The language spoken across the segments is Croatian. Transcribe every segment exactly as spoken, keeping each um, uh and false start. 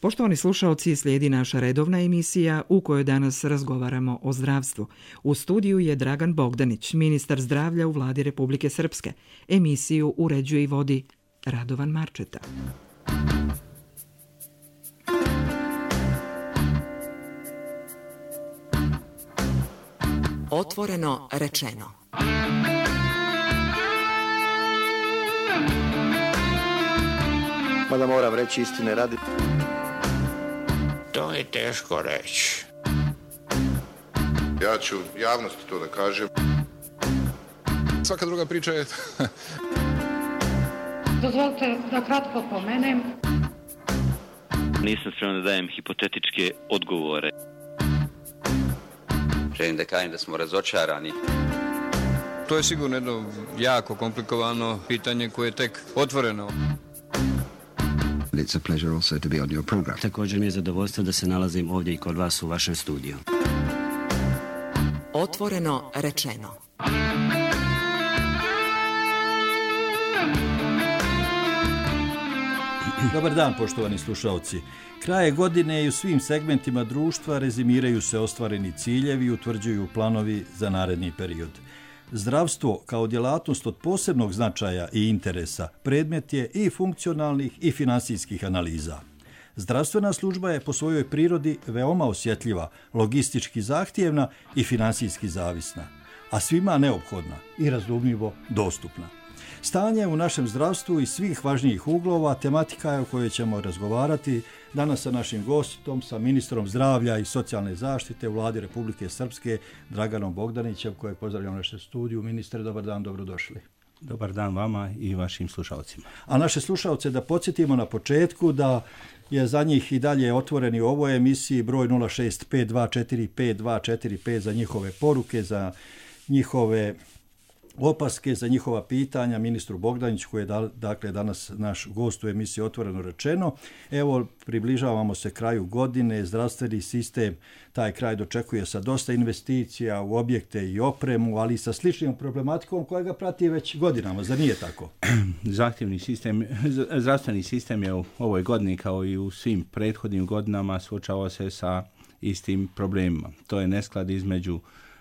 Poštovani slušaoci, slijedi naša redovna emisija u kojoj danas razgovaramo o zdravstvu. U studiju je Dragan Bogdanić, ministar zdravlja u Vladi Republike Srpske. Emisiju uređuje i vodi Radovan Marčeta. Otvoreno rečeno. Mada moram reći istine radi. To je teško reći. Ja ću javnosti to da kažem. Svaka druga priča je... Dozvolite da kratko pomenem. Nisam spreman da dajem hipotetičke odgovore. Želim da kažem da smo razočarani. To je sigurno jedno jako komplikovano pitanje koje je tek otvoreno. It's a pleasure also to be on your program. Također mi je zadovoljstvo da se nalazim ovdje i kod vas u vašem studiju. Otvoreno rečeno. Dobar dan, poštovani slušalci. Kraje godine i u svim segmentima društva rezimiraju se ostvareni ciljevi i utvrđuju planovi za naredni period. Zdravstvo kao djelatnost od posebnog značaja i interesa predmet je i funkcionalnih i finansijskih analiza. Zdravstvena služba je po svojoj prirodi veoma osjetljiva, logistički zahtjevna i finansijski zavisna, a svima neophodna i razumljivo dostupna. Stanje u našem zdravstvu iz svih važnijih uglova tematika je o kojoj ćemo razgovarati danas sa našim gostom, sa ministrom zdravlja i socijalne zaštite u Vladi Republike Srpske, Draganom Bogdanićem, kojeg pozdravljam u našem studiju. Ministre, dobar dan, dobrodošli. Dobar dan vama i vašim slušalcima. A naše slušalce da podsjetimo na početku da je za njih i dalje otvoreni u ovoj emisiji broj nula šest pet dva četiri pet dva četiri pet za njihove poruke, za njihove opaske, za njihova pitanja ministru Bogdaniću, koji je dakle danas naš gost u emisiji Otvoreno rečeno. Evo, približavamo se kraju godine, zdravstveni sistem taj kraj dočekuje sa dosta investicija u objekte i opremu, ali sa sličnom problematikom koja ga prati već godinama, zar nije tako? Zahtjevni sistem, zdravstveni sistem je u ovoj godini kao i u svim prethodnim godinama suočavao se sa istim problemima. To je nesklad između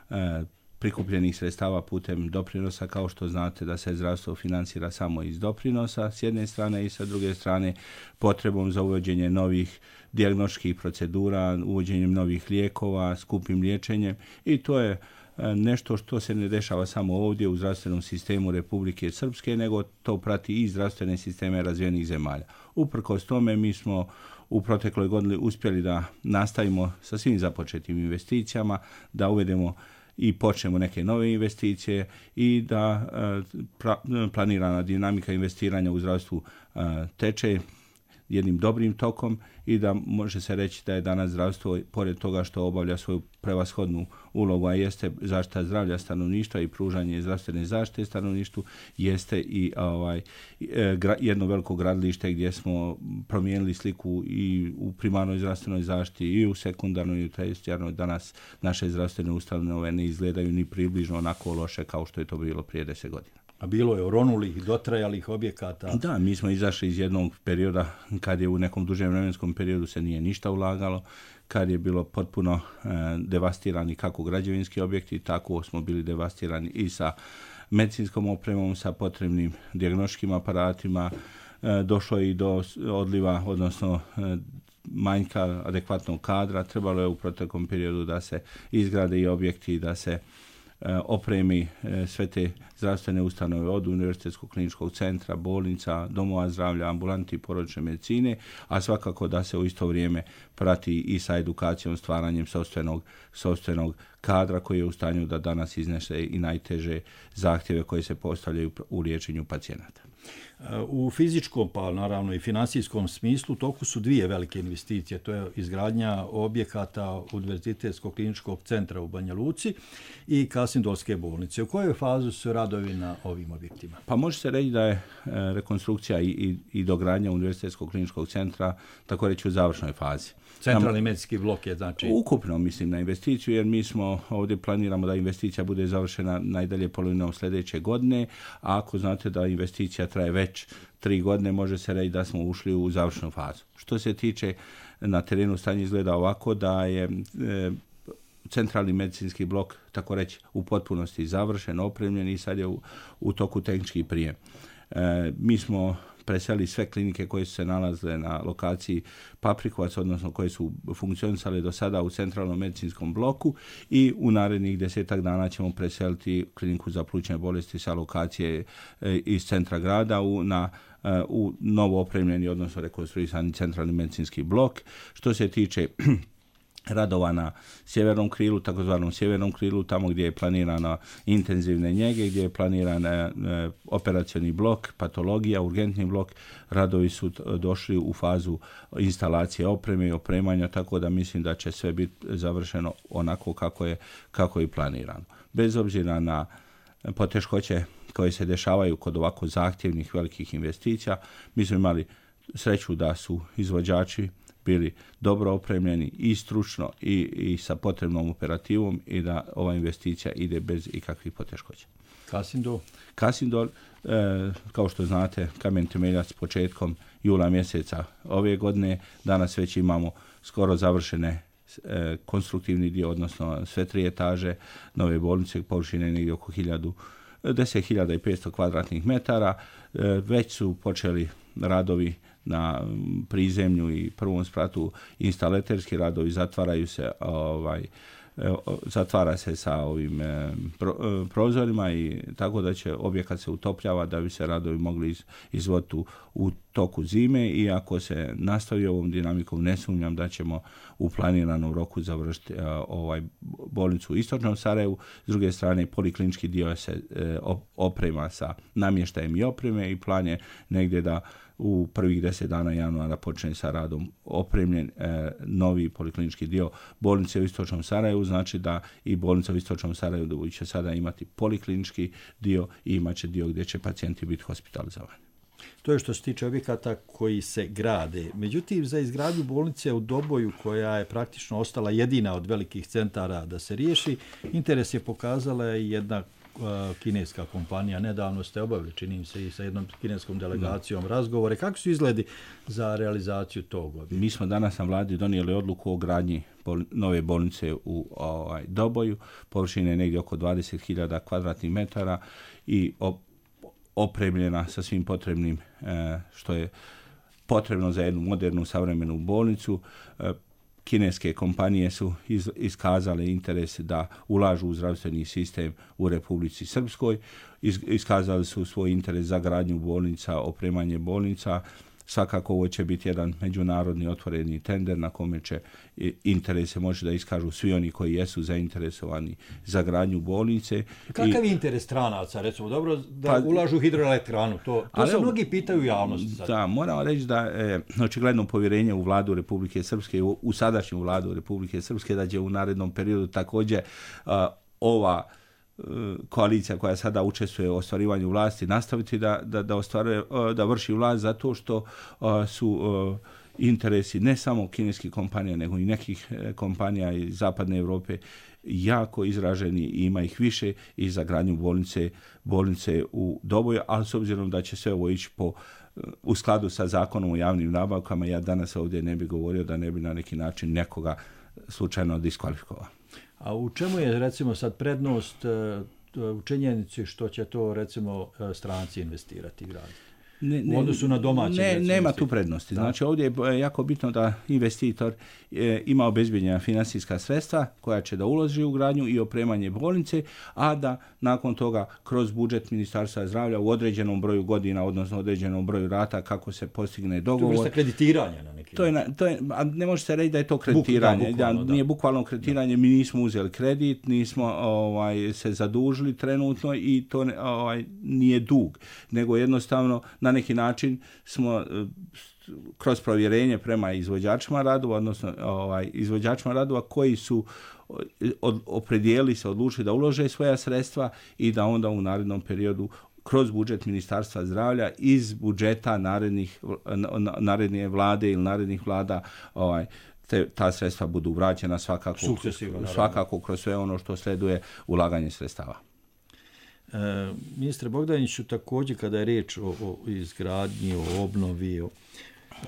e, prikupljenih sredstava putem doprinosa, kao što znate da se zdravstvo financira samo iz doprinosa s jedne strane i sa druge strane potrebom za uvođenje novih dijagnostičkih procedura, uvođenjem novih lijekova, skupim liječenjem, i to je nešto što se ne dešava samo ovdje u zdravstvenom sistemu Republike Srpske, nego to prati i zdravstvene sisteme razvijenih zemalja. Uprkos tome mi smo u protekloj godini uspjeli da nastavimo sa svim započetim investicijama, da uvedemo i počnemo neke nove investicije i da pra, planirana dinamika investiranja u zdravstvu teče jednim dobrim tokom i da može se reći da je danas zdravstvo, pored toga što obavlja svoju prevashodnu ulogu, a jeste zaštita zdravlja stanovništva i pružanje zdravstvene zaštite stanovništvu, jeste i ovaj, jedno veliko gradilište gdje smo promijenili sliku i u primarnoj zdravstvenoj zaštiti i u sekundarnoj i u tercijarnoj. Danas naše zdravstvene ustanove ne izgledaju ni približno onako loše kao što je to bilo prije deset godina. A bilo je oronulih, dotrajalih objekata. Da, mi smo izašli iz jednog perioda kad je u nekom dužem vremenskom periodu se nije ništa ulagalo, kad je bilo potpuno e, devastirani kako građevinski objekti, tako smo bili devastirani i sa medicinskom opremom, sa potrebnim dijagnostičkim aparatima. E, došlo je i do odliva, odnosno e, manjka adekvatnog kadra. Trebalo je u proteklom periodu da se izgrade i objekti, da se opremi sve te zdravstvene ustanove od Univerzitetskog kliničkog centra, bolnica, domova zdravlja, ambulanti i porodične medicine, a svakako da se u isto vrijeme prati i sa edukacijom, stvaranjem sopstvenog, sopstvenog kadra koji je u stanju da danas iznese i najteže zahtjeve koje se postavljaju u liječenju pacijenata. U fizičkom, pa naravno i finansijskom smislu, toku su dvije velike investicije. To je izgradnja objekata Univerzitetskog kliničkog centra u Banja Luci i Kasindolske bolnice. U kojoj fazi su radovi na ovim objektima? Pa može se reći da je rekonstrukcija i, i, i dogradnja Univerzitetskog kliničkog centra, tako reći, u završnoj fazi. Centralni medicinski blok je znači... Ukupno mislim na investiciju, jer mi smo ovdje planiramo da investicija bude završena najdalje polovinom sljedeće godine, a ako znate da investicija traje već tri godine, može se reći da smo ušli u završnu fazu. Što se tiče na terenu stanje izgleda ovako da je e, centralni medicinski blok, tako reći, u potpunosti završen, opremljen i sad je u, u toku tehnički prijem. E, mi smo preselili sve klinike koje su se nalazile na lokaciji Paprikovac, odnosno koje su funkcionisale do sada u centralnom medicinskom bloku i u narednih desetak dana ćemo preseliti kliniku za plućne bolesti sa lokacije e, iz centra grada u, na e, u novo opremljeni, odnosno rekonstruisani centralni medicinski blok. Što se tiče radova na sjevernom krilu, takozvanom sjevernom krilu, tamo gdje je planirana intenzivne njege, gdje je planiran e, operacioni blok, patologija, urgentni blok, radovi su došli u fazu instalacije opreme i opremanja, tako da mislim da će sve biti završeno onako kako je, kako je planirano. Bez obzira na poteškoće koje se dešavaju kod ovako zahtjevnih velikih investicija, mi smo imali sreću da su izvođači bili dobro opremljeni i stručno i, i sa potrebnom operativom i da ova investicija ide bez ikakvih poteškoća. Kasindol? Kasindol, e, kao što znate, kamen temeljac početkom jula mjeseca ove godine. Danas već imamo skoro završene e, konstruktivni dio, odnosno sve tri etaže nove bolnice, površine negdje oko deset hiljada petsto kvadratnih metara. E, već su počeli radovi na prizemlju i prvom spratu, instalaterski radovi, zatvaraju se ovaj zatvara se sa ovim pro, prozorima i tako da će objekat se utopljava da bi se radovi mogli iz, izvoditi u, u toku zime i ako se nastavi ovom dinamikom ne sumnjam da ćemo u planiranom roku završiti a, ovaj bolnicu u istočnom Sarajevu. S druge strane poliklinički dio se e, oprema sa namještajem i opreme i plan je negdje da u prvih deset dana januara počne sa radom opremljen e, novi poliklinički dio bolnice u istočnom Sarajevu, znači da i bolnica u istočnom Sarajevu će sada imati poliklinički dio i imat će dio gdje će pacijenti biti hospitalizovani. To je što se tiče objekata koji se grade. Međutim, za izgradnju bolnice u Doboju, koja je praktično ostala jedina od velikih centara da se riješi, interes je pokazala jedna kineska kompanija. Nedavno ste obavili, činim se, i sa jednom kineskom delegacijom razgovore. Kako su izgledi za realizaciju tog objekta? Mi smo danas na vladi donijeli odluku o gradnji bol- nove bolnice u ovaj, Doboju. Površine je negdje oko dvadeset hiljada kvadratnih metara i op- opremljena sa svim potrebnim eh, što je potrebno za jednu modernu savremenu bolnicu. Eh, Kineske kompanije su iz, iskazale interes da ulažu u zdravstveni sistem u Republici Srpskoj. Iz, iskazali su svoj interes za gradnju bolnica, opremanje bolnica. Svakako ovo će biti jedan međunarodni otvoreni tender na kome će interese može da iskažu svi oni koji jesu zainteresovani za gradnju bolnice. Kakav je interes stranaca, recimo, dobro, da pa, ulažu u hidroelektranu? To, to se mnogi pitaju u javnosti. Sad. Da, moram reći da je očigledno povjerenje u vladu Republike Srpske, u, u sadašnju vladu Republike Srpske, da će u narednom periodu također uh, ova koalicija koja sada učestvuje u ostvarivanju vlasti nastaviti da, da, da, ostvaruje, da vrši vlast zato što uh, su uh, interesi ne samo kineskih kompanija nego i nekih kompanija iz zapadne Europe jako izraženi i ima ih više i za gradnju bolnice, bolnice u Doboju, ali s obzirom da će sve ovo ići po u skladu sa zakonom o javnim nabavkama, ja danas ovdje ne bih govorio da ne bi na neki način nekoga slučajno diskvalifikovao. A u čemu je, recimo, sad prednost u činjenici što će to, recimo, stranci investirati grad? Ne, ne, u odnosu na domaće. Ne, nema tu prednosti. Da. Znači ovdje je jako bitno da investitor e, ima obezbijeđena financijska sredstva koja će da uloži u gradnju i opremanje bolnice, a da nakon toga kroz budžet Ministarstva zdravlja u određenom broju godina, odnosno određenom broju rata, kako se postigne dogovor. To je kreditiranje na neki to je, to je, a ne može se reći da je to kreditiranje. Buk, da, bukvalno, da, nije bukvalno kreditiranje. Da. Mi nismo uzeli kredit, nismo ovaj, se zadužili trenutno i to ovaj, nije dug, nego jednostavno na neki način smo kroz provjerenje prema izvođačima radova, odnosno ovaj, izvođačima radova koji su od, opredijeli se, odlučili da ulože svoja sredstva i da onda u narednom periodu kroz budžet Ministarstva zdravlja iz budžeta narednih, naredne vlade ili narednih vlada ovaj, te, ta sredstva budu vraćena svakako, svakako kroz sve ono što sleduje ulaganje sredstava. E, ministre Bogdaniću, također kada je riječ o, o izgradnji, o obnovi, o,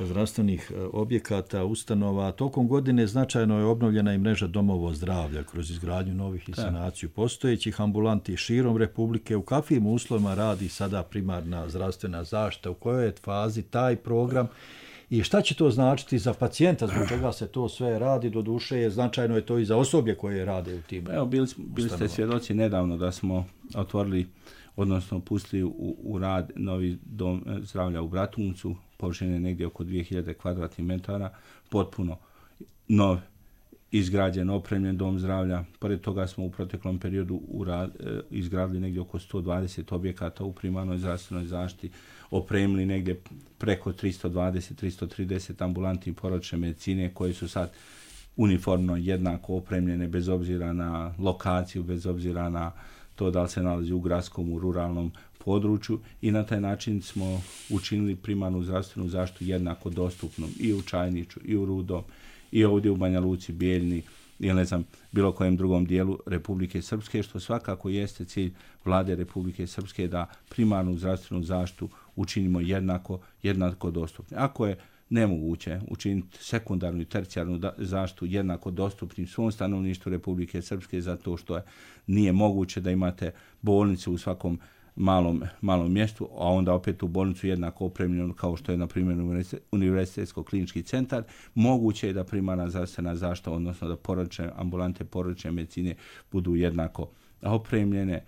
zdravstvenih objekata, ustanova. Tokom godine značajno je obnovljena i mreža domova zdravlja kroz izgradnju novih i sanaciju postojećih ambulanti širom Republike. U kakvim uslovima radi sada primarna zdravstvena zaštita? U kojoj je fazi taj program? I šta će to značiti za pacijenta, zbog čega se to sve radi, do duše je značajno je to i za osoblje koje rade u tim. Evo, bili, bili ste svjedoci nedavno da smo otvorili, odnosno pustili u, u rad novi dom zdravlja u Bratuncu, površine negdje oko dvije hiljade kvadratnih metara, potpuno nov, izgrađen, opremljen dom zdravlja. Pored toga smo u proteklom periodu u rad, izgradili negdje oko sto dvadeset objekata u primarnoj zdravstvenoj zaštiti, opremili negdje preko tristo dvadeset do tristo trideset ambulanti porodične medicine koje su sad uniformno jednako opremljene bez obzira na lokaciju, bez obzira na to da li se nalazi u gradskom, u ruralnom području i na taj način smo učinili primarnu zdravstvenu zaštitu jednako dostupnom i u Čajniću, i u Rudom, i ovdje u Banja Luci, Bijeljni ili ne znam, bilo kojem drugom dijelu Republike Srpske, što svakako jeste cilj vlade Republike Srpske da primarnu zdravstvenu zaštitu učinimo jednako, jednako dostupne. Ako je nemoguće učiniti sekundarnu i tercijarnu zaštitu jednako dostupnim svom stanovništvu Republike Srpske zato što je, nije moguće da imate bolnicu u svakom malom, malom mjestu, a onda opet u bolnicu jednako opremljenu kao što je na primjer Univerzitetsko-klinički centar, moguće je da primarna zdravstvena zaštita, odnosno da porodične ambulante porodične medicine budu jednako opremljene,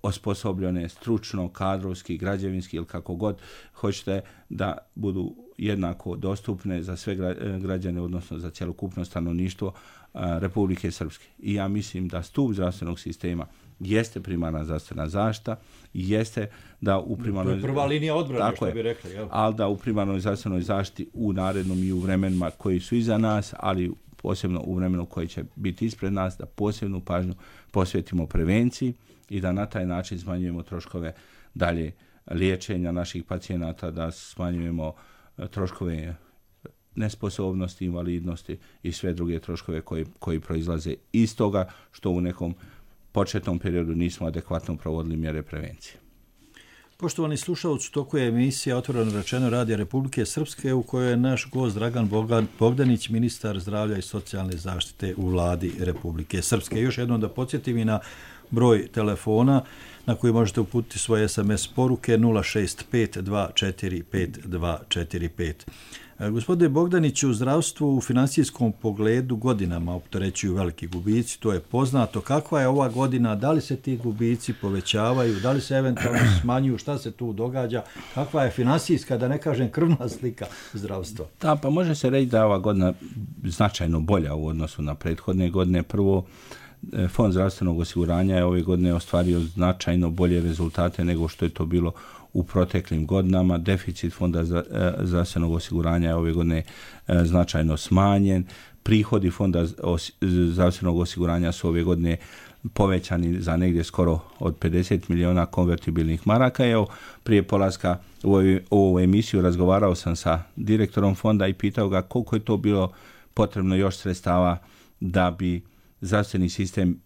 osposobljene stručno, kadrovski, građevinski ili kako god hoćete, da budu jednako dostupne za sve građane, odnosno za cjelokupno stanovništvo Republike Srpske. I ja mislim da stup zdravstvenog sistema jeste primarna zdravstvena zaštita, jeste da u primarnoj... To je prva linija odbrane, što bi rekli. Jel? Ali da u primarnoj zdravstvenoj zaštiti u narednom i u vremenima koji su iza nas, ali posebno u vremenu koji će biti ispred nas, da posebnu pažnju posvetimo prevenciji i da na taj način smanjujemo troškove dalje liječenja naših pacijenata, da smanjujemo troškove nesposobnosti, invalidnosti i sve druge troškove koji, koji proizlaze iz toga što u nekom početnom periodu nismo adekvatno provodili mjere prevencije. Poštovani slušalci, u toku je emisija Otvoreno rečeno Radija Republike Srpske u kojoj je naš gost Dragan Bogdanić, ministar zdravlja i socijalne zaštite u vladi Republike Srpske. Još jednom da podsjetim i na broj telefona na koji možete uputiti svoje es em es poruke nula šest pet dva četiri pet dva četiri pet. Gospodine Bogdaniću, u zdravstvu u finansijskom pogledu godinama opterećuju veliki gubici, to je poznato. Kakva je ova godina, da li se ti gubici povećavaju, da li se eventualno smanjuju, šta se tu događa, kakva je finansijska, da ne kažem krvna slika zdravstva? Da, pa može se reći da je ova godina značajno bolja u odnosu na prethodne godine. Prvo, Fond zdravstvenog osiguranja je ove godine ostvario značajno bolje rezultate nego što je to bilo u proteklim godinama. Deficit Fonda zdravstvenog osiguranja je ove godine značajno smanjen. Prihodi Fonda zdravstvenog osiguranja su ove godine povećani za negdje skoro od pedeset miliona konvertibilnih maraka. Evo, prije polaska u ovu emisiju razgovarao sam sa direktorom fonda i pitao ga koliko je to bilo potrebno još sredstava da bi zdravstveni sistem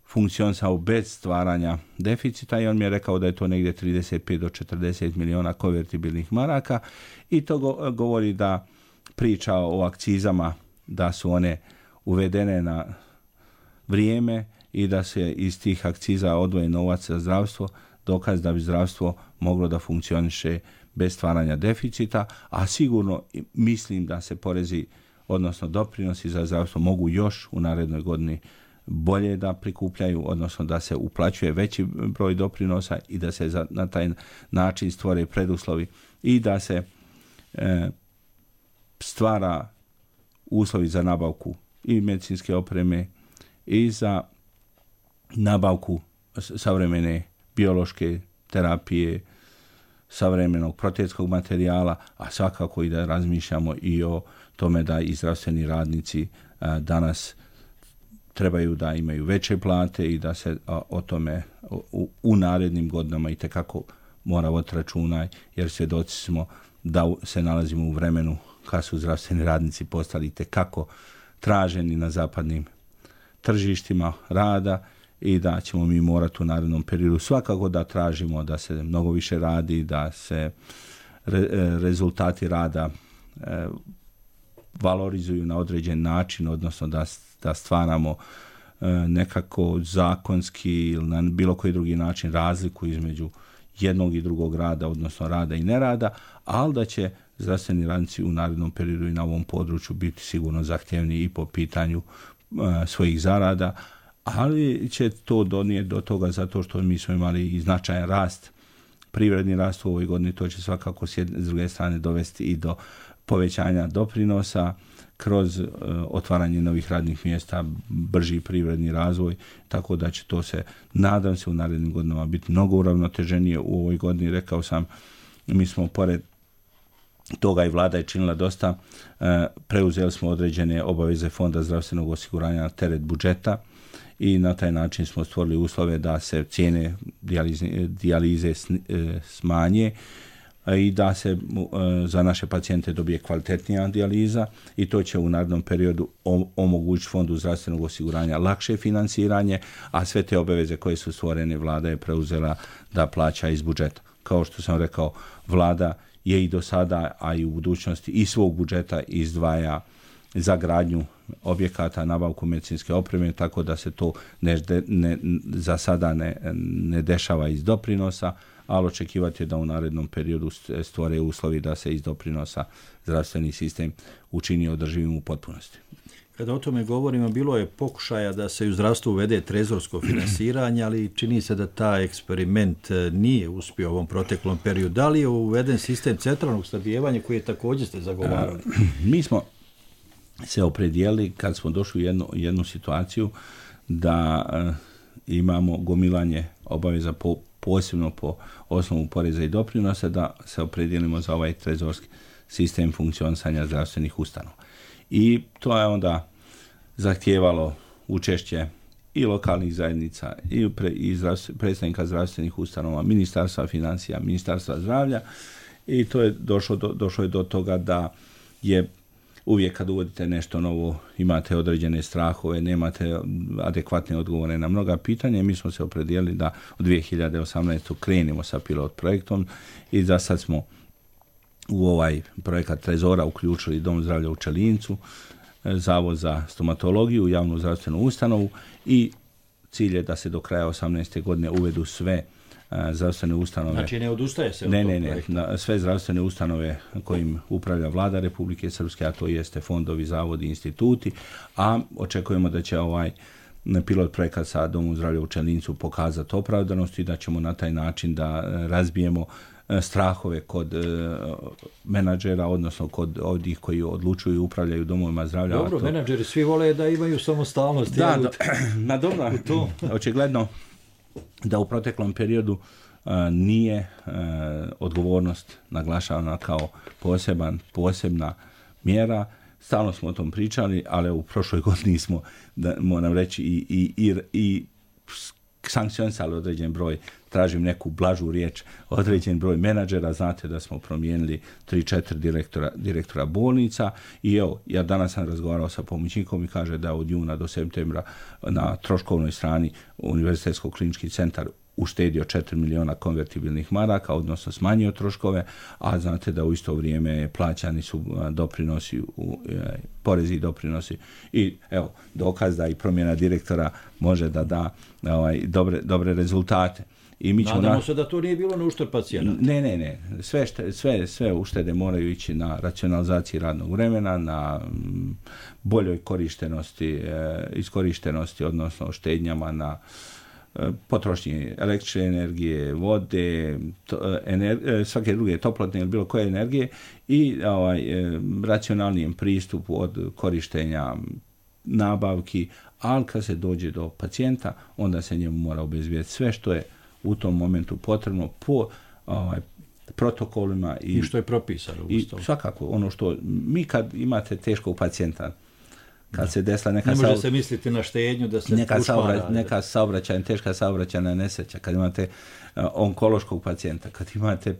funkcionisao bez stvaranja deficita i on mi je rekao da je to negdje trideset pet do četrdeset miliona konvertibilnih maraka i to go, govori da priča o akcizama, da su one uvedene na vrijeme i da se iz tih akciza odvoji novac za zdravstvo, dokaz da bi zdravstvo moglo da funkcioniše bez stvaranja deficita, a sigurno mislim da se porezi, odnosno doprinosi za zdravstvo mogu još u narednoj godini bolje da prikupljaju, odnosno da se uplaćuje veći broj doprinosa i da se za, na taj način stvore preduslovi i da se e, stvara uslovi za nabavku i medicinske opreme i za nabavku savremene biološke terapije, savremenog protetskog materijala, a svakako i da razmišljamo i o tome da i zdravstveni radnici a, danas trebaju da imaju veće plate i da se a, o tome u, u narednim godinama itekako mora voditi računa, jer svjedoci smo da se nalazimo u vremenu kad su zdravstveni radnici postali itekako traženi na zapadnim tržištima rada i da ćemo mi morati u narednom periodu svakako da tražimo da se mnogo više radi, da se re, rezultati rada e, valorizuju na određen način, odnosno da, da stvaramo e, nekako zakonski ili na bilo koji drugi način razliku između jednog i drugog rada, odnosno rada i nerada, ali da će zdravstveni radnici u narednom periodu i na ovom području biti sigurno zahtjevniji i po pitanju uh, svojih zarada, ali će to donijeti do toga zato što mi smo imali i značajan rast, privredni rast u ovoj godini, to će svakako s jedne, s druge strane dovesti i do povećanja doprinosa kroz uh, otvaranje novih radnih mjesta, brži privredni razvoj, tako da će to se, nadam se, u narednim godinama biti mnogo uravnoteženije. U ovoj godini, rekao sam, mi smo pored toga i vlada je činila dosta, e, preuzeli smo određene obaveze Fonda zdravstvenog osiguranja na teret budžeta i na taj način smo stvorili uslove da se cijene dijalize, dijalize smanje i da se e, za naše pacijente dobije kvalitetnija dijaliza i to će u narednom periodu omogućiti Fondu zdravstvenog osiguranja lakše financiranje, a sve te obaveze koje su stvorene vlada je preuzela da plaća iz budžeta. Kao što sam rekao, vlada je i do sada, a i u budućnosti iz svog budžeta izdvaja za gradnju objekata, nabavku medicinske opreme, tako da se to ne, ne, za sada ne, ne dešava iz doprinosa, ali očekivati je da u narednom periodu stvore uslovi da se iz doprinosa zdravstveni sistem učini održivim u potpunosti. Kada o tome govorimo, bilo je pokušaja da se u zdravstvu uvede trezorsko finansiranje, ali čini se da taj eksperiment nije uspio u ovom proteklom periodu. Da li je uveden sistem centralnog snabdijevanja koji je također ste zagovarali? Mi smo se opredijelili kad smo došli u jednu, jednu situaciju da uh, imamo gomilanje obaveza po, posebno po osnovu poreza i doprinosa, da se opredijelimo za ovaj trezorski sistem funkcionisanja zdravstvenih ustanova. I to je onda zahtijevalo učešće i lokalnih zajednica i, pre, i zdravstv, predstavnika zdravstvenih ustanova, Ministarstva financija, Ministarstva zdravlja i to je došlo do, došlo je do toga da je uvijek kad uvodite nešto novo imate određene strahove, nemate adekvatne odgovore na mnoga pitanja. Mi smo se opredijelili da u dvije hiljade osamnaeste. krenemo sa pilot projektom i za sad smo u ovaj projekat Trezora uključili Dom zdravlja u Čelincu, Zavod za stomatologiju, javnu zdravstvenu ustanovu i cilj je da se do kraja osamnaeste. godine uvedu sve a, zdravstvene ustanove. Znači ne odustaje se od ne, tog ne, ne, projekta? na, sve zdravstvene ustanove kojim upravlja vlada Republike Srpske, a to jeste fondovi, zavodi, instituti, a očekujemo da će ovaj pilot projekat sa Domom zdravlja u Čelincu pokazati opravdanost i da ćemo na taj način da razbijemo strahove kod uh, menadžera, odnosno kod ovdje koji odlučuju i upravljaju domovima zdravlja. Dobro, to... menadžeri svi vole da imaju samostalnost. Da, do, na dobro, očigledno da u proteklom periodu uh, nije uh, odgovornost naglašavana kao poseban, posebna mjera. Stalno smo o tom pričali, ali u prošloj godini smo, da moram reći, i, i, i, i sankcionisali određen broj, tražim neku blažu riječ, određen broj menadžera. Znate da smo promijenili tri četiri direktora, direktora bolnica i evo, ja danas sam razgovarao sa pomoćnikom i kaže da od juna do septembra na troškovnoj strani Univerzitetsko klinički centar uštedio četiri miliona konvertibilnih maraka, odnosno smanjio troškove, a znate da u isto vrijeme plaćani su doprinosi, porezi i doprinosi i evo, dokaz da i promjena direktora može da da ovaj, dobre, dobre rezultate. I mi ćemo Nadamo na... se da to nije bilo na uštrb pacijenata. Ne, ne, ne. Sve, šte, sve, sve uštede moraju ići na racionalizaciji radnog vremena, na boljoj korištenosti, eh, iskorištenosti, odnosno štednjama na potrošnje električne energije, vode, to, ener, svake druge toplotne ili bilo koje energije i ovaj, racionalnijem pristupu od korištenja nabavki, ali kad se dođe do pacijenta, onda se njemu mora obezbijeti sve što je u tom momentu potrebno po ovaj, protokolima. I, I što je propisano. I svakako, ono što mi kad imate teškog pacijenta, kad da. se desila neka... Ne može saob... se misliti na štednju da se neka, saobra... neka saobraćajna, teška saobraćajna nesreća, kad imate uh, onkološkog pacijenta, kad imate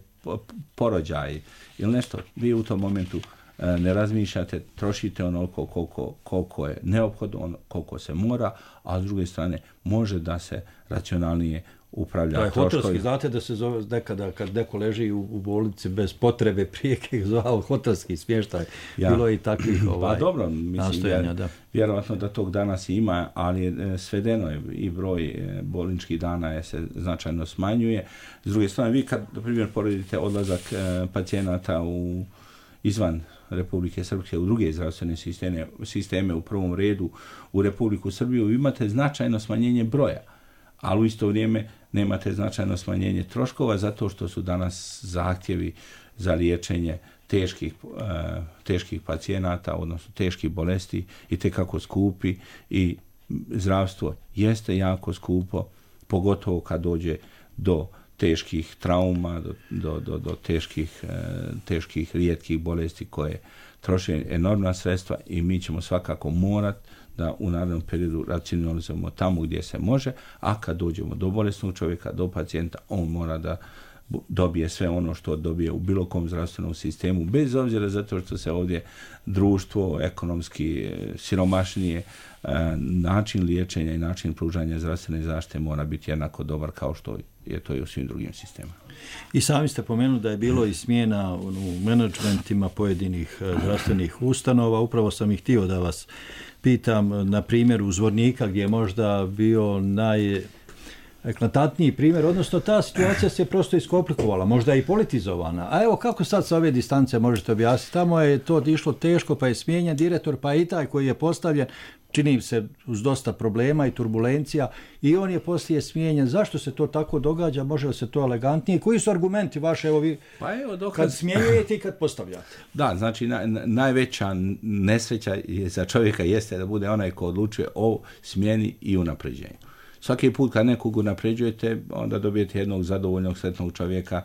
porođaj ili nešto, vi u tom momentu uh, ne razmišljate, trošite onoliko koliko, koliko je neophodno, ono, koliko se mora, a s druge strane može da se racionalnije upravlja troškovi. troškovi. Hotelski, znate da se zove nekada kad neko leži u, u bolnici bez potrebe prijeke, zvao hotelski smještaj. Ja. Bilo je i takvih ovaj, pa dobro, mislim, nastojanja. Da. Vjerovatno da tog danas ima, ali je, svedeno je i broj bolničkih dana je se značajno smanjuje. S druge strane, vi kad, na primjer, poredite odlazak e, pacijenata u izvan Republike Srpske u druge zdravstvene sisteme, sisteme u prvom redu u Republiku Srbiju, imate značajno smanjenje broja, ali u isto vrijeme nemate značajno smanjenje troškova zato što su danas zahtjevi za liječenje teških, uh, teških pacijenata, odnosno teških bolesti i tekako skupi i zdravstvo jeste jako skupo, pogotovo kad dođe do teških trauma, do, do, do, do teških, e, teških rijetkih bolesti koje troše enormna sredstva i mi ćemo svakako morati da u narednom periodu racionalizujemo tamo gdje se može, a kad dođemo do bolesnog čovjeka, do pacijenta, on mora da dobije sve ono što dobije u bilo kom zdravstvenom sistemu, bez obzira zato što se ovdje društvo ekonomski siromašnije, način liječenja i način pružanja zdravstvene zaštite mora biti jednako dobar kao što je to i u svim drugim sistemima. I sami ste pomenuli da je bilo i smjena u menadžmentima pojedinih zdravstvenih ustanova. Upravo sam ih htio da vas pitam na primjeru Zvornika gdje je možda bio naj eklatantniji primjer, odnosno ta situacija se prosto iskomplikovala, možda i politizovana. A evo kako sad sa ove distance možete objasniti? Tamo je to išlo teško, pa je smijenjen direktor, pa i taj koji je postavljen, čini se uz dosta problema i turbulencija, i on je poslije smijenjen. Zašto se to tako događa? Može li se to elegantnije? Koji su argumenti vaše, evo vi, pa evo, dokaz... kad smjenjujete i kad postavljate? Da, znači na, na, najveća nesreća je za čovjeka jeste da bude onaj ko odlučuje o smjeni i unapređenju. Svaki put kad nekog unapređujete, onda dobijete jednog zadovoljnog, sretnog čovjeka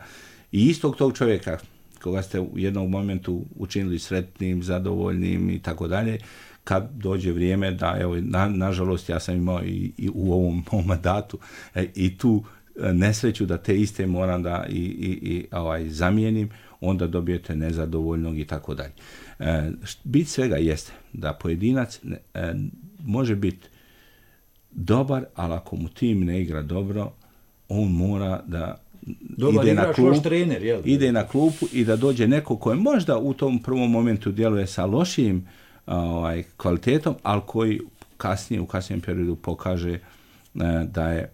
i istog tog čovjeka koga ste u jednom momentu učinili sretnim, zadovoljnim i tako dalje, kad dođe vrijeme da, evo, na, nažalost, ja sam imao i, i u ovom, ovom mandatu e, i tu nesreću da te iste moram da i, i, i ovaj, zamijenim, onda dobijete nezadovoljnog i tako dalje. E, bit svega jeste da pojedinac e, može biti dobar, ali ako mu tim ne igra dobro, on mora da dobar ide, na klub, trener, jel? ide na klupu i da dođe neko koji možda u tom prvom momentu djeluje sa lošijim ovaj, kvalitetom, ali koji kasnije, u kasnijem periodu pokaže eh, da je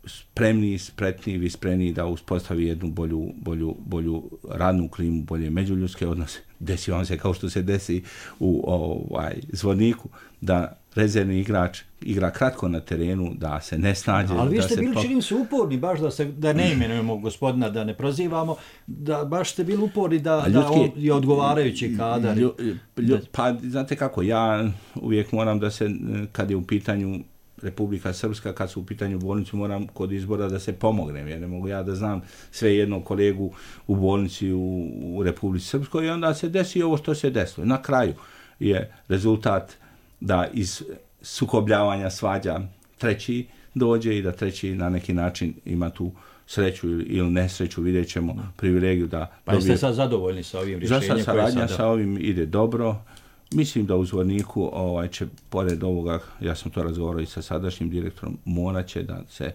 spremniji, spretniji, vispreniji da uspostavi jednu bolju, bolju, bolju radnu klimu, bolje međuljudske odnose. Desi vam se kao što se desi u ovaj, Zvorniku, da rezervni igrač igra kratko na terenu, da se ne snađe. Ali vi ste da bili, se... činim se, uporni, baš da, se, da ne imenujemo gospodina, da ne prozivamo, da baš ste bili uporni da, ljudski, da on je odgovarajući kadar. Lju, lju, pa, znate kako, ja uvijek moram da se, kad je u pitanju Republika Srpska, kad su u pitanju bolnicu, moram kod izbora da se pomognem, jer ne mogu ja da znam sve jednog kolegu u bolnici u, u Republici Srpskoj i onda se desi ovo što se desilo. Na kraju je rezultat da iz sukobljavanja svađa treći dođe i da treći na neki način ima tu sreću ili nesreću, vidjet ćemo privilegiju da... Pa jeste dobije... sad zadovoljni sa ovim rješenjem? Za sad saradnja sada... sa ovim ide dobro. Mislim da u Zvorniku ovaj, će, pored ovoga, ja sam to razgovarao i sa sadašnjim direktorom, morat će da se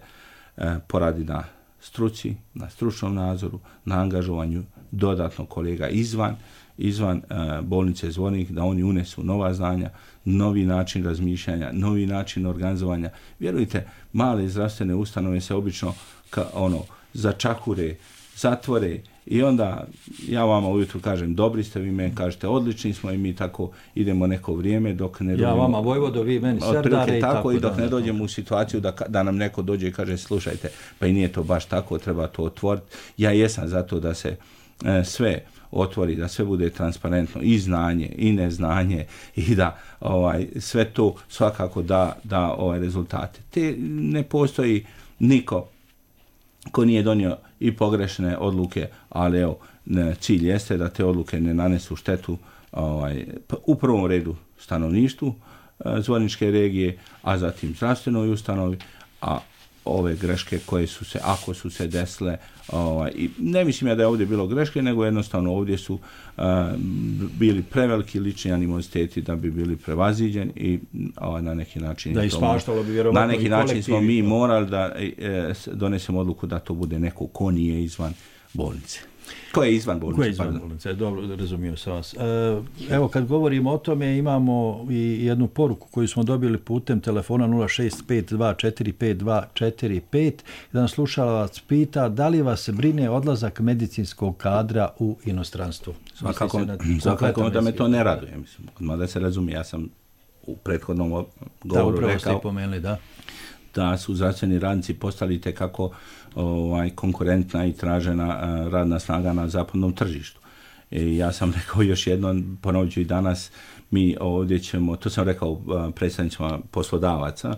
e, poradi na struci, na stručnom nadzoru, na angažovanju dodatno kolega izvan, izvan e, bolnice Zvornik, da oni unesu nova znanja, novi način razmišljanja, novi način organizovanja. Vjerujte, male zdravstvene ustanove se obično ka, ono, začahure, zatvore i onda ja vama ujutru kažem dobri ste, vi meni kažete odlični smo i mi tako idemo neko vrijeme dok ne dođemo... Ja vama Vojvodo, vi meni Serdare i tako. tako i dok da, ne dođemo u situaciju da, da nam neko dođe i kaže slušajte, pa i nije to baš tako, treba to otvoriti. Ja jesam zato da se e, sve otvori, da sve bude transparentno, i znanje i neznanje i da ovaj, sve to svakako da, da ovaj, rezultate. Te ne postoji niko ko nije donio i pogrešne odluke, ali evo, ne, cilj jeste da te odluke ne nanesu štetu ovaj, u prvom redu stanovništvu e, Zvorničke regije, a zatim zdravstvenoj ustanovi, a ove greške koje su se, ako su se desile, ovaj, i ne mislim ja da je ovdje bilo greške, nego jednostavno ovdje su uh, bili preveliki lični animoziteti da bi bili prevaziđeni i ovaj, na neki način da ispaštalo bi vjerovatno na neki način smo mi morali da e, donesemo odluku da to bude neko ko nije izvan bolnice. Ko je izvan bolnice? Ko je izvan bolnice? Dobro, razumio sam vas. Evo, kad govorimo o tome, imamo i jednu poruku koju smo dobili putem telefona nula šest pet dva četiri pet dva četiri pet. Jedan slušalac pita da li vas brine odlazak medicinskog kadra u inostranstvo? Svakako, svakako da me to ne raduje. Mislim, mada se razumije, ja sam u prethodnom govoru da, rekao pomenuli, da. da su zdravstveni radnici postali tekako ovaj, konkurentna i tražena uh, radna snaga na zapadnom tržištu. I ja sam rekao još jednom, ponovit ću i danas, mi ovdje ćemo, to sam rekao uh, predstavnicima poslodavaca,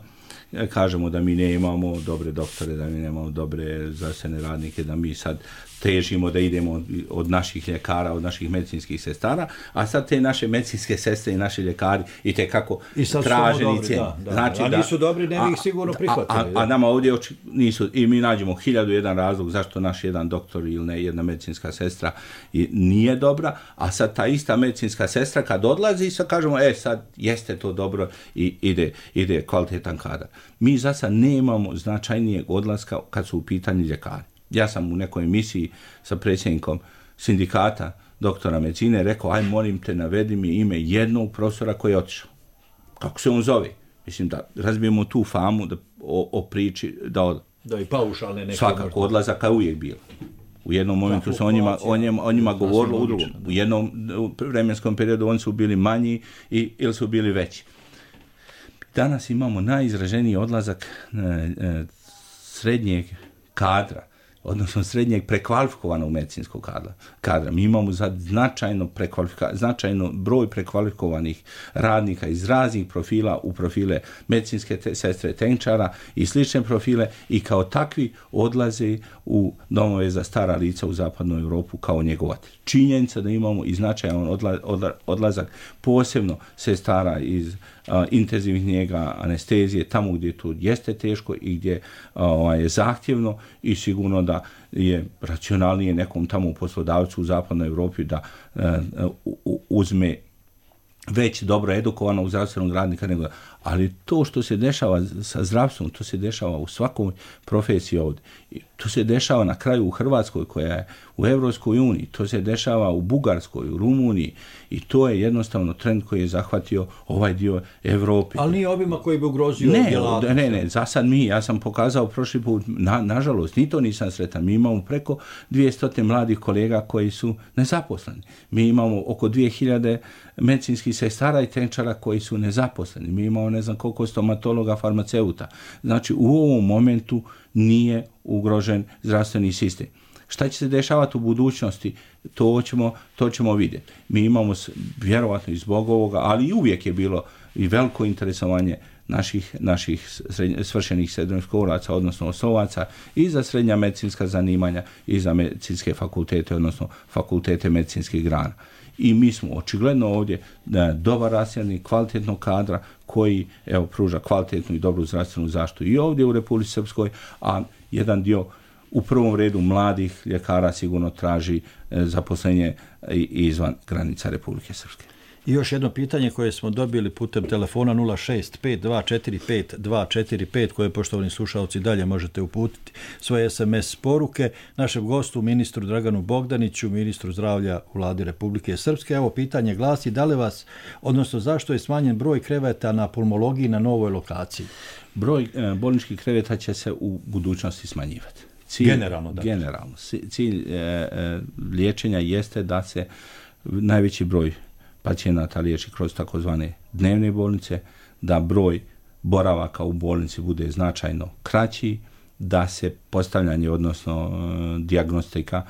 kažemo da mi ne imamo dobre doktore, da mi nemamo dobre zdravstvene radnike, da mi sad težimo da idemo od naših ljekara, od naših medicinskih sestara, a sad te naše medicinske sestre i naši ljekari i te kako traženi cijeni. Da, da, znači, a nisu da, dobri, ne bi ih sigurno prihvatili. A, a, a nama ovdje nisu, i mi nađemo hiljadu jedan razlog zašto naš jedan doktor ili ne, jedna medicinska sestra nije dobra, a sad ta ista medicinska sestra kad odlazi, sad kažemo, e sad jeste to dobro i ide, ide kvalitetan kadar. Mi za sad nemamo značajnijeg odlaska kad su u pitanju ljekari. Ja sam u nekoj emisiji sa predsjednikom sindikata doktora medicine rekao, aj molim te, navedi mi ime jednog profesora koji je otišao. Kako se on zove? Mislim da razbijemo tu famu da, o, o priči da od... Da i paušalne neke... Svakako odlazaka je uvijek bilo. U jednom momentu se o njima, o njima, o njima govorilo, u drugom. U jednom vremenskom periodu oni su bili manji i, ili su bili veći. Danas imamo najizraženiji odlazak e, e, srednjeg kadra, odnosno srednjeg prekvalifikovanog medicinskog kadra. kadra. Mi imamo za značajno, značajno broj prekvalifikovanih radnika iz raznih profila u profile medicinske te, sestre, tehničara i slične profile i kao takvi odlaze u domove za stara lica u zapadnu Europu kao njegovatelj. Činjenica da imamo i značajan odla, odla, odlazak posebno sestara iz a, intenzivnih njega, anestezije, tamo gdje to jeste teško i gdje a, je zahtjevno i sigurno da je racionalnije nekom tamo poslodavcu u zapadnoj Europi da a, u, uzme već dobro edukovanog zdravstvenog radnika, nego, ali to što se dešava sa zdravstvom, to se dešava u svakoj profesiji ovdje. To se dešava na kraju u Hrvatskoj koja je u Europskoj uniji, to se dešava u Bugarskoj, u Rumuniji i to je jednostavno trend koji je zahvatio ovaj dio Europe. Ali nije obima koji bi ugrozio ne, djelatnost. Ne, ne, za sad mi, ja sam pokazao prošli put, na, nažalost, ni to nisam sretan, mi imamo preko dvjesto mladih kolega koji su nezaposleni. Mi imamo oko dvije hiljade medicinskih sestara i tehničara koji su nezaposleni. Mi imamo ne znam koliko stomatologa, farmaceuta. Znači u ovom momentu nije ugrožen zdravstveni sistem. Šta će se dešavati u budućnosti, to ćemo, to ćemo vidjeti. Mi imamo vjerovatno i zbog ovoga, ali i uvijek je bilo i veliko interesovanje naših, naših srednje, svršenih srednjoškolaca, odnosno osnovaca i za srednja medicinska zanimanja i za medicinske fakultete, odnosno fakultete medicinskih grana. I mi smo očigledno ovdje da dobar rasljednik kvalitetnog kadra koji evo pruža kvalitetnu i dobru zdravstvenu zaštitu i ovdje u Republici Srpskoj, a jedan dio u prvom redu mladih ljekara sigurno traži e, zaposlenje izvan granica Republike Srpske. I još jedno pitanje koje smo dobili putem telefona nula šest pet dva četiri pet dva četiri pet koje, poštovani slušalci, dalje možete uputiti svoje es em es poruke našem gostu, ministru Draganu Bogdaniću, ministru zdravlja u Vladi Republike Srpske. Evo, pitanje glasi, da li vas, odnosno zašto je smanjen broj kreveta na pulmologiji na novoj lokaciji? Broj e, bolničkih kreveta će se u budućnosti smanjivati. Cilj, generalno, da. Generalno. Cilj e, e, liječenja jeste da se najveći broj pacijenata liječi kroz takozvane dnevne bolnice, da broj boravaka u bolnici bude značajno kraći, da se postavljanje, odnosno e, dijagnostika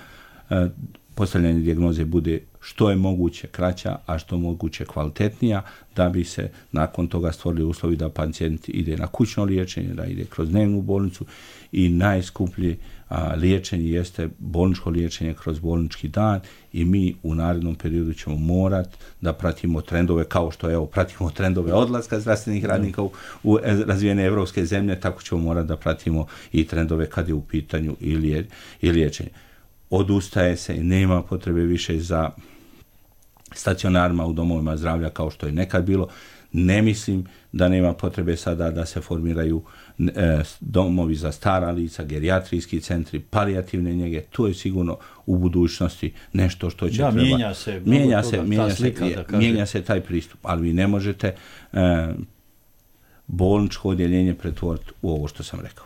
e, postavljanje dijagnoze bude što je moguće kraća, a što moguće kvalitetnija, da bi se nakon toga stvorili uslovi da pacijent ide na kućno liječenje, da ide kroz dnevnu bolnicu i najskuplje a, liječenje jeste bolničko liječenje kroz bolnički dan i mi u narednom periodu ćemo morati da pratimo trendove kao što evo pratimo trendove odlaska zdravstvenih radnika u, u razvijene evropske zemlje, tako ćemo morati da pratimo i trendove kad je u pitanju i, lije, i liječenje. Odustaje se i nema potrebe više za stacionarima u domovima zdravlja kao što je nekad bilo. Ne mislim da nema potrebe sada da se formiraju e, domovi za stara lica, gerijatrijski centri, palijativne njege. To je sigurno u budućnosti nešto što će da, treba... Mijenja se, mijenja se, toga, mijenja, slika, se mijenja se taj pristup, ali vi ne možete e, bolničko odjeljenje pretvoriti u ovo što sam rekao.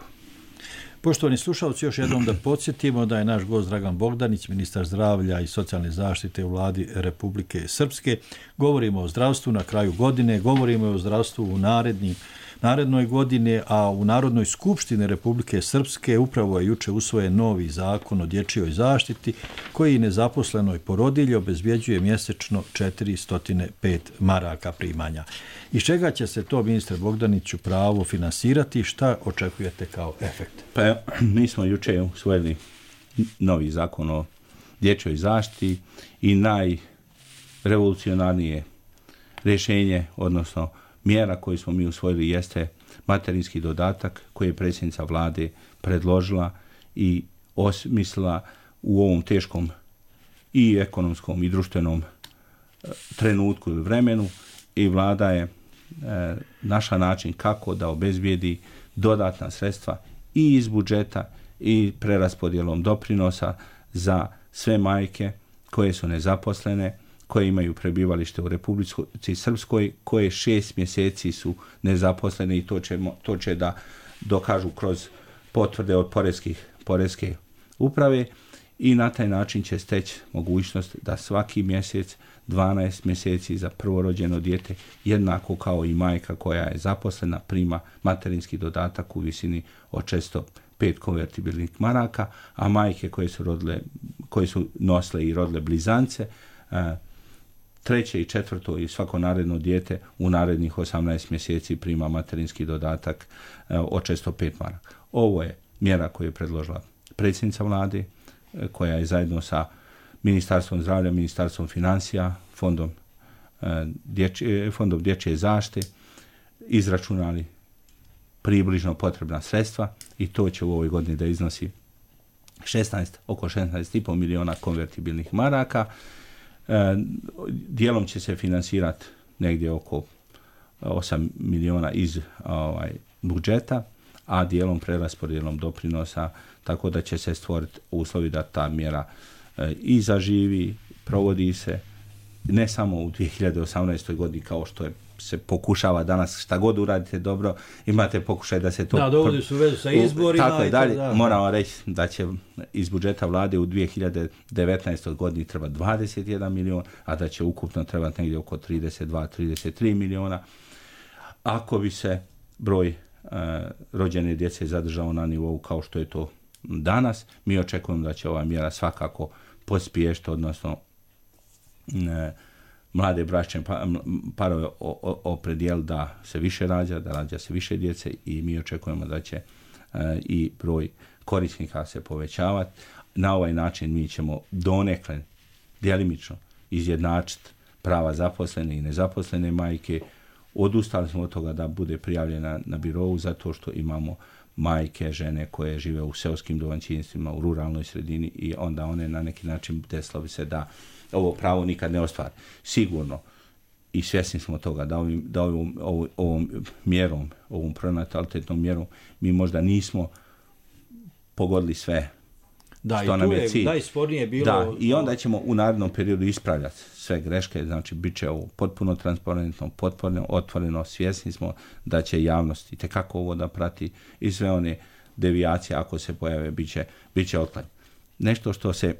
Poštovani slušalci, još jednom da podsjetimo da je naš gost Dragan Bogdanić, ministar zdravlja i socijalne zaštite u vladi Republike Srpske. Govorimo o zdravstvu na kraju godine, govorimo o zdravstvu u narednim, narednoj godine, a u Narodnoj skupštini Republike Srpske upravo je juče usvojen novi zakon o dječjoj zaštiti koji nezaposlenoj porodilji obezbjeđuje mjesečno četiristo pet maraka primanja. Iz čega će se to, ministre Bogdaniću, pravo finansirati? Šta očekujete kao efekt? Pa mi smo juče usvojili novi zakon o dječjoj zaštiti i najrevolucionarnije rješenje, odnosno mjera koju smo mi usvojili jeste materinski dodatak koji je predsjednica vlade predložila i osmislila u ovom teškom i ekonomskom i društvenom trenutku ili vremenu i vlada je e, našla način kako da obezbijedi dodatna sredstva i iz budžeta i preraspodjelom doprinosa za sve majke koje su nezaposlene, koje imaju prebivalište u Republici Srpskoj, koje šest mjeseci su nezaposlene i to će, to će da dokažu kroz potvrde od poreskih, poreske uprave i na taj način će steći mogućnost da svaki mjesec dvanaest mjeseci za prvorođeno dijete, jednako kao i majka koja je zaposlena, prima materinski dodatak u visini od četiristo pet konvertibilnih maraka, a majke koje su, rodile, koje su nosile i rodile blizance, treće i četvrto i svako naredno dijete u narednih osamnaest mjeseci prima materinski dodatak od četiristo pet maraka. Ovo je mjera koju je predložila predsjednica vlade, koja je zajedno sa Ministarstvom zdravlja, Ministarstvom financija, Fondom dječje, Fondom dječje zaštite izračunali približno potrebna sredstva i to će u ovoj godini da iznosi šesnaest, oko šesnaest i pol miliona konvertibilnih maraka. E, dijelom će se finansirati negdje oko osam miliona iz ovaj, budžeta, a dijelom preraspodjelom doprinosa, tako da će se stvoriti uslovi da ta mjera e, i zaživi, provodi se ne samo u dvije hiljade osamnaestoj godini kao što je se pokušava danas, šta god uradite dobro, imate pokušaj da se to... Da, dovodi su vezu sa izborima. Tako je, dalje, da, moramo reći da će iz budžeta vlade u dvije hiljade devetnaestoj godini treba dvadeset jedan milion, a da će ukupno trebati negdje oko trideset dva trideset tri miliona. Ako bi se broj uh, rođene djece zadržao na nivou kao što je to danas, mi očekujemo da će ova mjera svakako pospješiti, odnosno ne, mlade bračne parove opredijeli da se više rađa, da rađa se više djece i mi očekujemo da će uh, i broj korisnika se povećavati. Na ovaj način mi ćemo donekle djelimično izjednačiti prava zaposlene i nezaposlene majke. Odustali smo od toga da bude prijavljena na birovu zato što imamo majke, žene koje žive u seoskim domaćinstvima, u ruralnoj sredini i onda one na neki način desilo bi se da ovo pravo nikad ne ostvari. Sigurno i svjesni smo toga da, ovim, da ovom, ovom, ovom mjerom, ovom pronatalitetnom mjerom mi možda nismo pogodili sve da, što nam je cilj. Da, i spornije bilo... Da, i onda ćemo u narednom periodu ispravljati sve greške, znači bit će ovo potpuno transparentno, potpuno otvoreno, svjesni smo da će javnost itekako ovo da prati i sve one devijacije ako se pojave, bit će, bit će otklanjeno. Nešto što se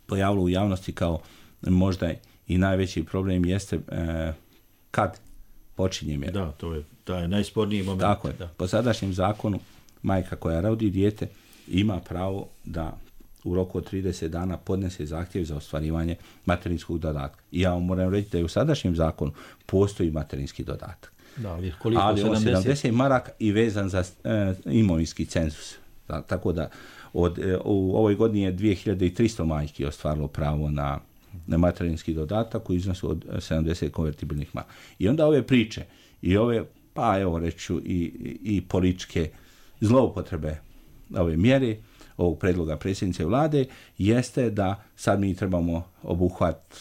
pojavilo u javnosti kao možda i najveći problem jeste e, kad počinje mjera. Da, to je taj najsporniji moment. Tako je. Da. Po sadašnjem zakonu majka koja rodi dijete ima pravo da u roku od trideset dana podnese zahtjev za ostvarivanje materinskog dodatka. I ja vam moram reći da je u sadašnjem zakonu postoji materinski dodatak. Da, ali koliko? Ali sedamdeset? sedamdeset maraka i vezan za e, imovinski cenzus. Da, tako da od, e, u ovoj godini je dvije hiljade tristo majki ostvarilo pravo na, na materinski dodatak u iznosu od sedamdeset konvertibilnih maraka. I onda ove priče i ove, pa evo reću, i, i političke zloupotrebe ove mjere, ovog predloga predsjednice vlade, jeste da sad mi trebamo obuhvat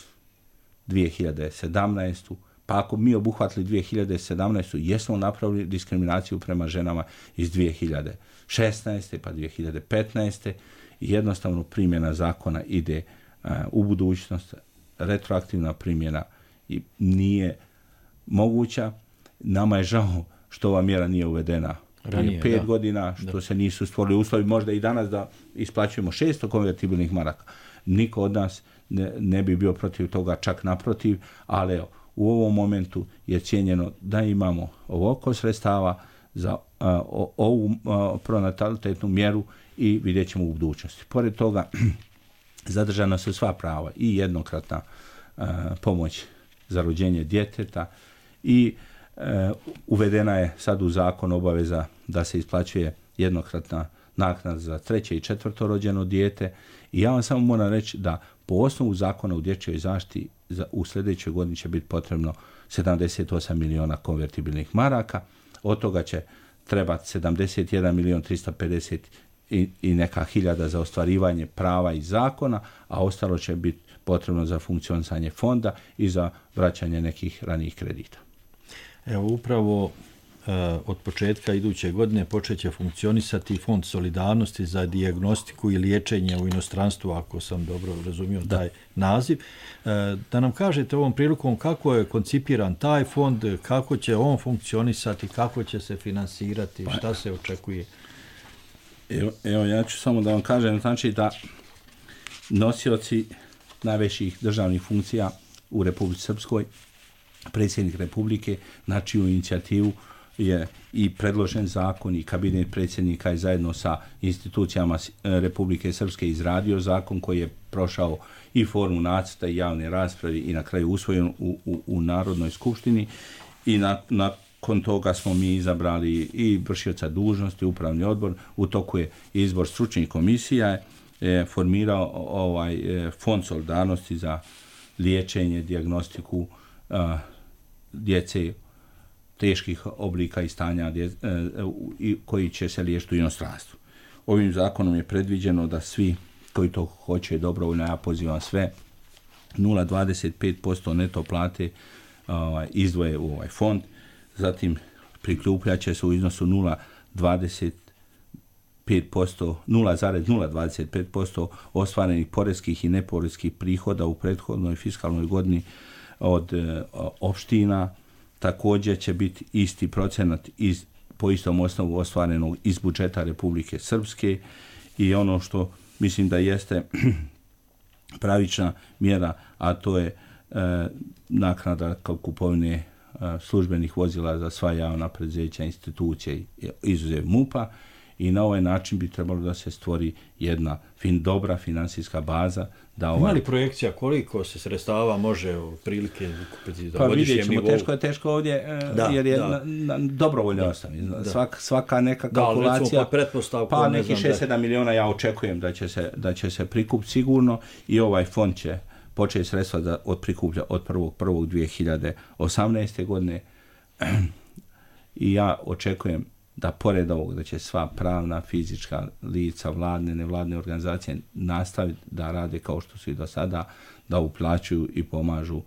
dvije hiljade sedamnaestu. Pa ako mi obuhvatili dvije hiljade sedamnaestu. jesmo napravili diskriminaciju prema ženama iz dvije hiljade šesnaeste. pa dvije hiljade petnaeste. i jednostavno primjena zakona ide uh, u budućnost, retroaktivna primjena i nije moguća. Nama je žao što ova mjera nije uvedena ranije, pet da. godina, što da. se nisu stvorili uslovi, možda i danas da isplaćujemo šesto konvertibilnih maraka. Niko od nas ne, ne bi bio protiv toga, čak naprotiv, ali evo, u ovom momentu je cijenjeno da imamo ovoliko sredstava za uh, ovu uh, pronatalitetnu mjeru i vidjet ćemo u budućnosti. Pored toga, zadržana su sva prava i jednokratna uh, pomoć za rođenje djeteta i uh, uvedena je sad u zakon obaveza da se isplaćuje jednokratna naknada za treće i četvrto rođeno dijete. I ja vam samo moram reći da po osnovu zakona u dječjoj zaštiti za, u sljedećoj godini će biti potrebno sedamdeset osam miliona konvertibilnih maraka, od toga će trebati sedamdeset jedan milion tristo pedeset i, i neka hiljada za ostvarivanje prava iz zakona, a ostalo će biti potrebno za funkcionisanje fonda i za vraćanje nekih ranijih kredita. Evo upravo od početka iduće godine počet će funkcionisati Fond solidarnosti za dijagnostiku i liječenje u inostranstvu, ako sam dobro razumio taj naziv. Da nam kažete ovom prilikom kako je koncipiran taj fond, kako će on funkcionisati, kako će se finansirati, šta se očekuje? Evo, evo ja ću samo da vam kažem, znači da nosioci najvećih državnih funkcija u Republici Srpskoj, predsjednik Republike, na čiju inicijativu je i predložen zakon i kabinet predsjednika i zajedno sa institucijama Republike Srpske izradio zakon koji je prošao i formu nacrta i javne rasprave i na kraju usvojen u, u, u Narodnoj skupštini i na, nakon toga smo mi izabrali i vršioca dužnosti, upravni odbor, u toku je izbor stručnih komisija, je formirao ovaj Fond solidarnosti za liječenje, dijagnostiku a, djece teških oblika i stanja dje, e, koji će se liječiti u inostranstvu. Ovim zakonom je predviđeno da svi koji to hoće dobrovoljno, ja pozivam sve, nula zarez dvadeset pet posto neto plate ovaj, izdvoje u ovaj fond, zatim prikupljaće se u iznosu nula zarez dvadeset pet posto, nula zarez nula dvadeset pet posto ostvarenih poreskih i neporeskih prihoda u prethodnoj fiskalnoj godini od e, opština. Također će biti isti procenat iz, po istom osnovu ostvarenog iz budžeta Republike Srpske i ono što mislim da jeste pravična mjera, a to je e, naknada kao kupovine e, službenih vozila za sva javna preduzeća, institucije, izuzev MUP-a, i na ovaj način bi trebalo da se stvori jedna fin, dobra finansijska baza. Da ovaj... Ima li projekcija koliko se sredstava može prilike kupiti za pa godišnjem nivou? Teško je teško ovdje, da, jer je da. na, na dobrovoljnoj osnovi. Svak, svaka neka kalkulacija, da, pa neki šest sedam miliona ja očekujem da će se, da će se prikupiti sigurno i ovaj fond će početi sredstva da od prikuplja od prvog prvog dvije hiljade osamnaeste. godine i ja očekujem da pored ovog da će sva pravna, fizička lica, vladne, nevladne organizacije nastaviti da rade kao što su i do sada, da uplaćuju i pomažu,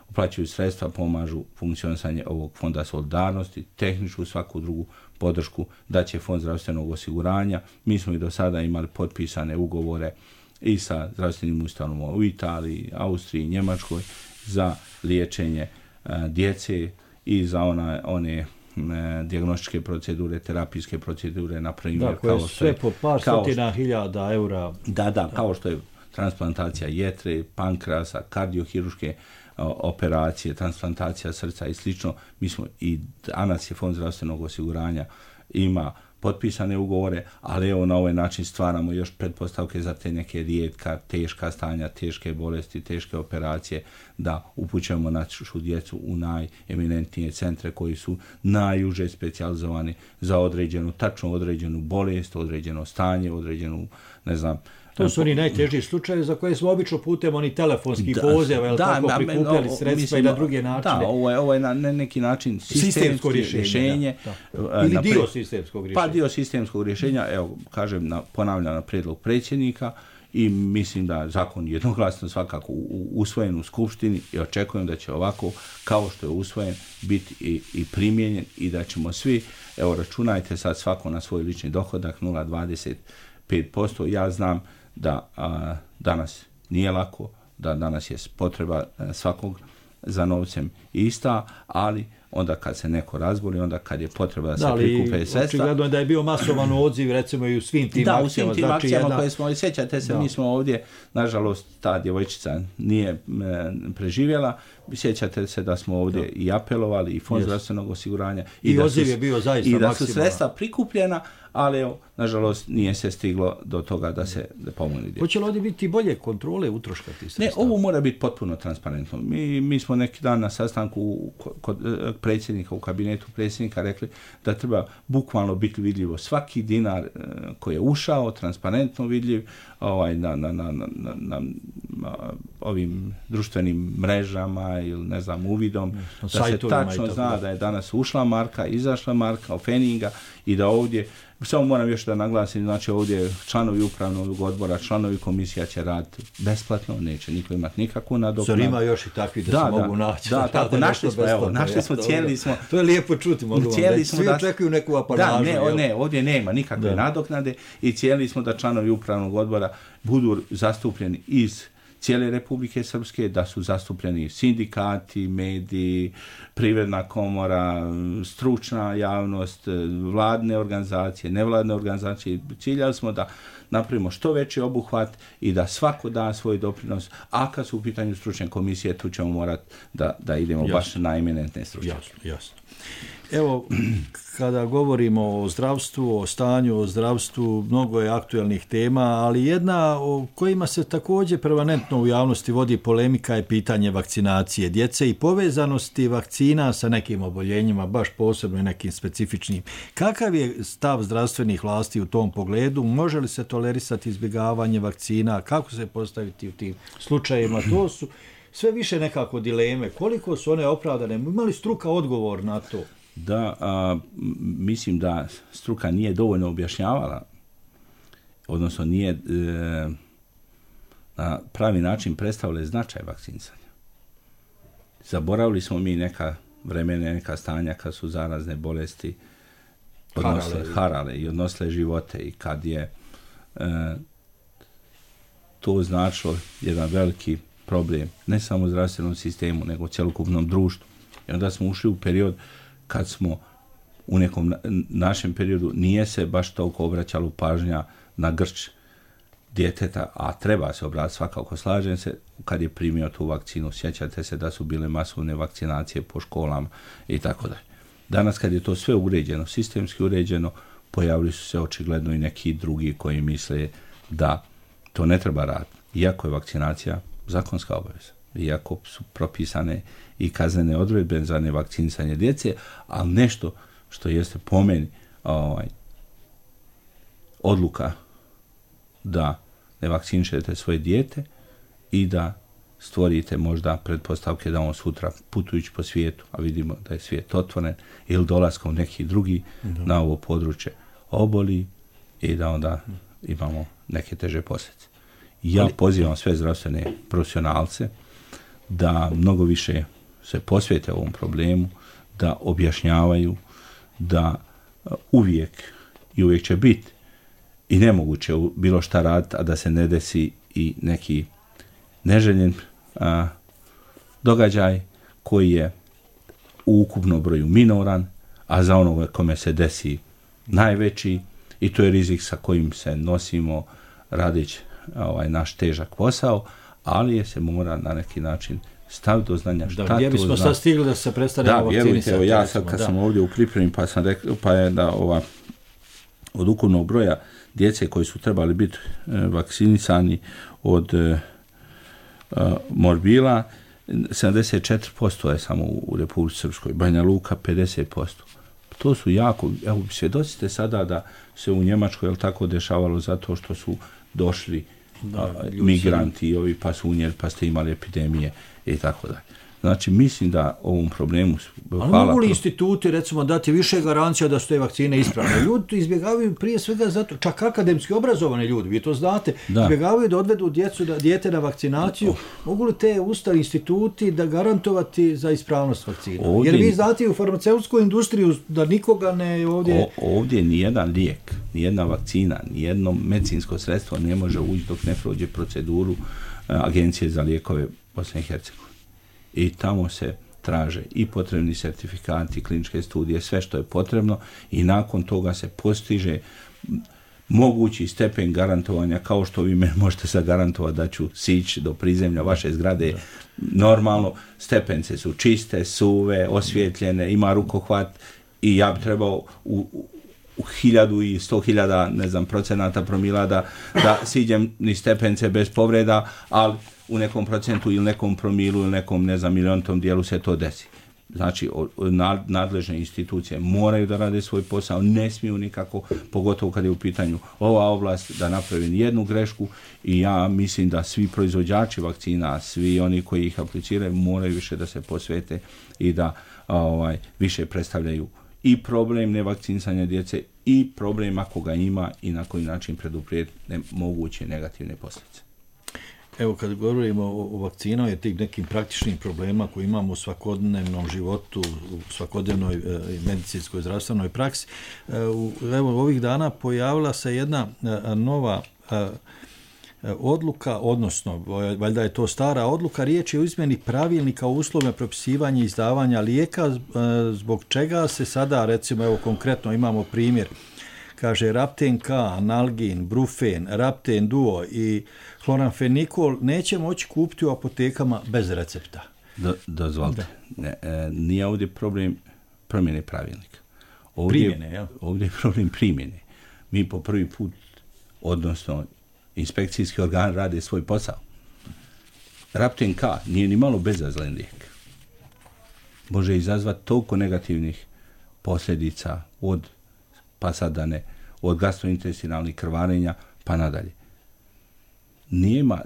uplaćuju sredstva, pomažu funkcionisanje ovog fonda solidarnosti, tehničku svaku drugu podršku da će fond zdravstvenog osiguranja. Mi smo i do sada imali potpisane ugovore i sa zdravstvenim ustanovama u Italiji, Austriji, Njemačkoj za liječenje a, djece i za ona, one dijagnostičke procedure, terapijske procedure, na primjer. Da, koje kao sve je, po par stotina hiljada eura. Da, da, kao što je transplantacija jetre, pankrasa, kardiohiruške operacije, transplantacija srca i slično. Mi smo i danas je Fond zdravstvenog osiguranja ima potpisane ugovore, ali evo na ovaj način stvaramo još pretpostavke za te neke rijetka, teška stanja, teške bolesti, teške operacije, da upućujemo našu djecu u najeminentnije centre koji su najuže specijalizovani za određenu, tačno određenu bolest, određeno stanje, određenu, ne znam, to su oni najtežiji slučajevi za koje smo obično putem oni telefonski poziv, jel tako, prikupljali sredstva mislim, i na druge načine. Da, ovo je, ovo je na neki način sistemsko rješenje. rješenje da, da. Ili dio pre... sistemskog rješenja. Pa dio sistemskog rješenja, evo, kažem, na, ponavljam na prijedlog predsjednika i mislim da zakon jednoglasno svakako usvojen u Skupštini i očekujem da će ovako, kao što je usvojen, biti i, i primijenjen i da ćemo svi, evo, računajte sad svako na svoj lični dohodak nula zarez dvadeset pet posto. Ja znam da a, danas nije lako, da danas je potreba a, svakog za novcem ista, ali onda kad se neko razboli, onda kad je potreba da, da se prikupe sredstva. Očigledno je da je bio masovan odziv, recimo i u svim tim da, akcijama. Da, u svim tim znači akcijama jedna... koje smo, sjećate se, da. Mi smo ovdje, nažalost, ta djevojčica nije e, preživjela, sjećate se da smo ovdje da. i apelovali, i fond yes. zdravstvenog osiguranja. I, I odziv je bio zaista maksimalno. I da su sredstva prikupljena, ali evo, nažalost, nije se stiglo do toga da se pomogne djecu. Hoće li ovdje biti bolje kontrole utroška tih sredstava? Ne, ovo mora biti potpuno transparentno. Mi, mi smo neki dan na sastanku kod predsjednika u kabinetu predsjednika rekli da treba bukvalno biti vidljivo svaki dinar koji je ušao, transparentno vidljiv ovaj, na, na, na, na, na, na ovim društvenim mrežama ili ne znam uvidom, da se tačno zna da je danas ušla marka, izašla marka, ofeninga i da ovdje, samo moram još da naglasim, znači ovdje članovi upravnog odbora, članovi komisija će raditi besplatno, neće niko imati nikakvu nadoknadu. Zar ima još i takvi da, da se da, mogu naći? Da, tako, našli smo, evo, našli smo, cijeli smo. To je lijepo čuti, mogu vam reći. Svi očekuju neku apanažu. Da, ne, ne, ovdje nema nikakve da. nadoknade i cijeli smo da članovi upravnog odbora budu zastupljeni iz cijele Republike Srpske, da su zastupljeni sindikati, mediji, privredna komora, stručna javnost, vladne organizacije, nevladne organizacije. Ciljali smo da napravimo što veći obuhvat i da svako da svoj doprinos, a kad su u pitanju stručne komisije, tu ćemo morati da, da idemo jasno. baš na eminentne stručne. Jasno, jasno. Evo, kada govorimo o zdravstvu, o stanju, o zdravstvu, mnogo je aktuelnih tema, ali jedna o kojima se također permanentno u javnosti vodi polemika je pitanje vakcinacije djece i povezanosti vakcina sa nekim oboljenjima, baš posebno i nekim specifičnim. Kakav je stav zdravstvenih vlasti u tom pogledu? Može li se tolerisati izbjegavanje vakcina? Kako se postaviti u tim slučajevima? To su sve više nekako dileme. Koliko su one opravdane? Ima li struka odgovor na to? Da, a, mislim da struka nije dovoljno objašnjavala, odnosno nije e, na pravi način predstavila značaj vakcinisanja. Zaboravili smo mi neka vremena, neka stanja kad su zarazne bolesti odnosle, harale. harale i odnosle živote i kad je e, to značilo jedan veliki problem, ne samo u zdravstvenom sistemu, nego u cjelokupnom društvu. I onda smo ušli u period kad smo u nekom našem periodu nije se baš toliko obraćalo pažnja na grč djeteta, a treba se obratiti, svakako slažem se, kad je primio tu vakcinu. Sjećate se da su bile masovne vakcinacije po školama i tako dalje. Danas kad je to sve uređeno, sistemski uređeno, pojavili su se očigledno i neki drugi koji misle da to ne treba raditi. Iako je vakcinacija zakonska obaveza, iako su propisane i kaznene odredbe za nevakcinisanje djece, ali nešto što jeste po meni ovaj, odluka da ne vakcinišete svoje dijete i da stvorite možda pretpostavke da on sutra putujući po svijetu, a vidimo da je svijet otvoren, ili dolaskom neki drugi da. na ovo područje oboli i da onda imamo neke teže posljedice. Ja ali, pozivam sve zdravstvene profesionalce da mnogo više se posvete ovom problemu, da objašnjavaju, da uvijek i uvijek će biti i nemoguće bilo šta raditi, a da se ne desi i neki neželjen a, događaj koji je u ukupnom broju minoran, a za onoga kome se desi najveći, i to je rizik sa kojim se nosimo radeći ovaj naš težak posao, ali je se mora na neki način staviti do znanja šta da, gdje bismo to zna. Sad stigli da se prestanemo vakcinisati. Da, vjerujte, evo, ja sad kad da. sam ovdje u pripremi, pa sam rekao, pa je da ova od ukupnog broja djece koji su trebali biti e, vakcinisani od e, morbila, sedamdeset četiri posto je samo u Republici Srpskoj, Banja Luka pedeset posto. To su jako, evo svjedocite sada da se u Njemačkoj, jel tako, dešavalo zato što su došli da, a, migranti i ovi pa su unijeli, pa ste imali epidemije i tako dalje. Znači, mislim da ovom problemu... Ali mogu li instituti, recimo, dati više garancija da su te vakcine ispravne? Ljudi izbjegavaju prije svega zato, čak akademski obrazovani ljudi, vi to znate, da. izbjegavaju da odvedu djecu, da, dijete na vakcinaciju. Oh. Mogu li te ustavi instituti da garantovati za ispravnost vakcina? Ovdje, jer vi znate u farmaceutsku industriju da nikoga ne ovdje... O, ovdje nijedan lijek, nijedna vakcina, nijedno medicinsko sredstvo ne može ući dok ne prođe proceduru uh, Agencije za lijekove Bosne i Hercegovine. I tamo se traže i potrebni sertifikati, kliničke studije, sve što je potrebno i nakon toga se postiže mogući stepen garantovanja, kao što vi me možete zagarantovati da ću sići do prizemlja vaše zgrade. Da. Normalno, stepence su čiste, suve, osvjetljene, ima rukohvat i ja bi trebao u, u hiljadu i sto hiljada, ne znam, procenata promila da, da siđem ni stepence bez povreda, ali u nekom procentu ili nekom promilu ili nekom, ne znam, miliontom dijelu se to desi. Znači, nadležne institucije moraju da rade svoj posao, ne smiju nikako, pogotovo kad je u pitanju ova oblast, da napravi jednu grešku i ja mislim da svi proizvođači vakcina, svi oni koji ih apliciraju, moraju više da se posvete i da ovaj, više predstavljaju i problem nevakcinisanja djece i problem ako ga ima i na koji način preduprijeti moguće negativne posljedice. Evo, kad govorimo o, o vakcinama i tih nekim praktičnim problema koje imamo u svakodnevnom životu, u svakodnevnoj e, medicinskoj zdravstvenoj praksi, e, u, evo, ovih dana pojavila se jedna e, nova e, odluka, odnosno, valjda je to stara odluka, riječ je o izmjeni pravilnika o uslovima propisivanja i izdavanja lijeka, e, zbog čega se sada, recimo, evo, konkretno imamo primjer, kaže Rapten K, Analgin, Brufen, Rapten Duo i Chloramphenicol neće moći kupiti u apotekama bez recepta. Do, dozvolite. Da. Ne, e, nije ovdje problem promjene pravilnika. Ovdje, primjene, ja? Ovdje je problem primjene. Mi po prvi put, odnosno inspekcijski organ rade svoj posao. Rapten K nije ni malo bezazlen lijek. Može izazvati toliko negativnih posljedica od pasadane, od gastrointestinalnih krvarenja pa nadalje. Nijema,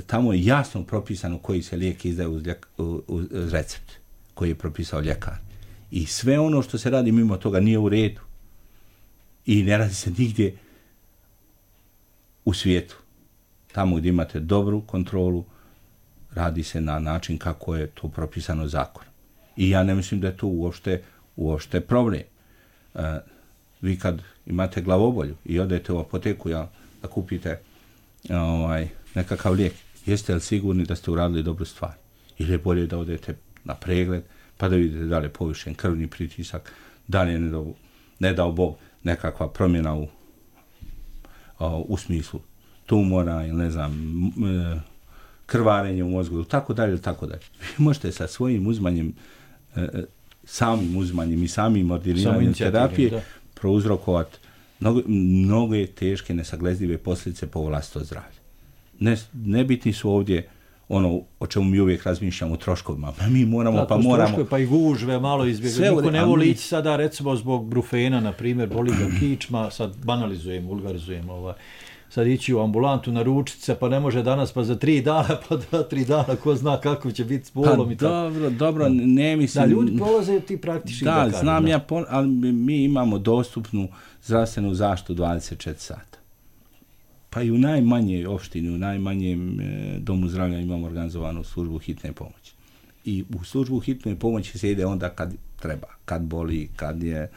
tamo je jasno propisano koji se lijek izdaje uz, ljek, uz recept koji je propisao ljekar. I sve ono što se radi mimo toga nije u redu. I ne radi se nigdje u svijetu. Tamo gdje imate dobru kontrolu, radi se na način kako je to propisano zakonom. I ja ne mislim da je to uopšte, uopšte problem. Uh, vi kad imate glavobolju i odete u apoteku, ja, da kupite ovaj, nekakav lijek, jeste li sigurni da ste uradili dobru stvar? Ili je bolje da odete na pregled, pa da vidite da li je povišen krvni pritisak, da li je ne dao, ne dao Bog nekakva promjena u, u smislu tumora ili ne znam, krvarenje u mozgu, tako dalje, tako dalje. Vi možete sa svojim uzmanjem, samim uzmanjem i samim ordiniranjem terapije da. prouzrokovati mnogo, mnogo teške, nesagledljive posljedice po vlastito zdravlje. Ne, nebitni su ovdje ono o čemu mi uvijek razmišljamo, troškovima. Mi moramo, da, pa moramo... Troškove, pa i gužve malo izbjegati. Niko ne voli ići sada, recimo, zbog brufena, na primjer, boli ga kičma, sad banalizujem, vulgarizujem, ovaj, sad ići u ambulantu na ručice, pa ne može danas, pa za tri dana, pa dva, tri dana, ko zna kako će biti s bolom pa i tako. Dobro, dobro, ne mislim... Da, ljudi prolaze ti praktični da, da kažem. Znam ja, ali mi imamo dostupnu zdravstvenu zaštitu dvadeset četiri sata. Pa i u najmanjoj opštini, u najmanjem e, domu zdravlja imamo organizovanu službu hitne pomoći. I u službu hitne pomoći se ide onda kad treba, kad boli, kad je,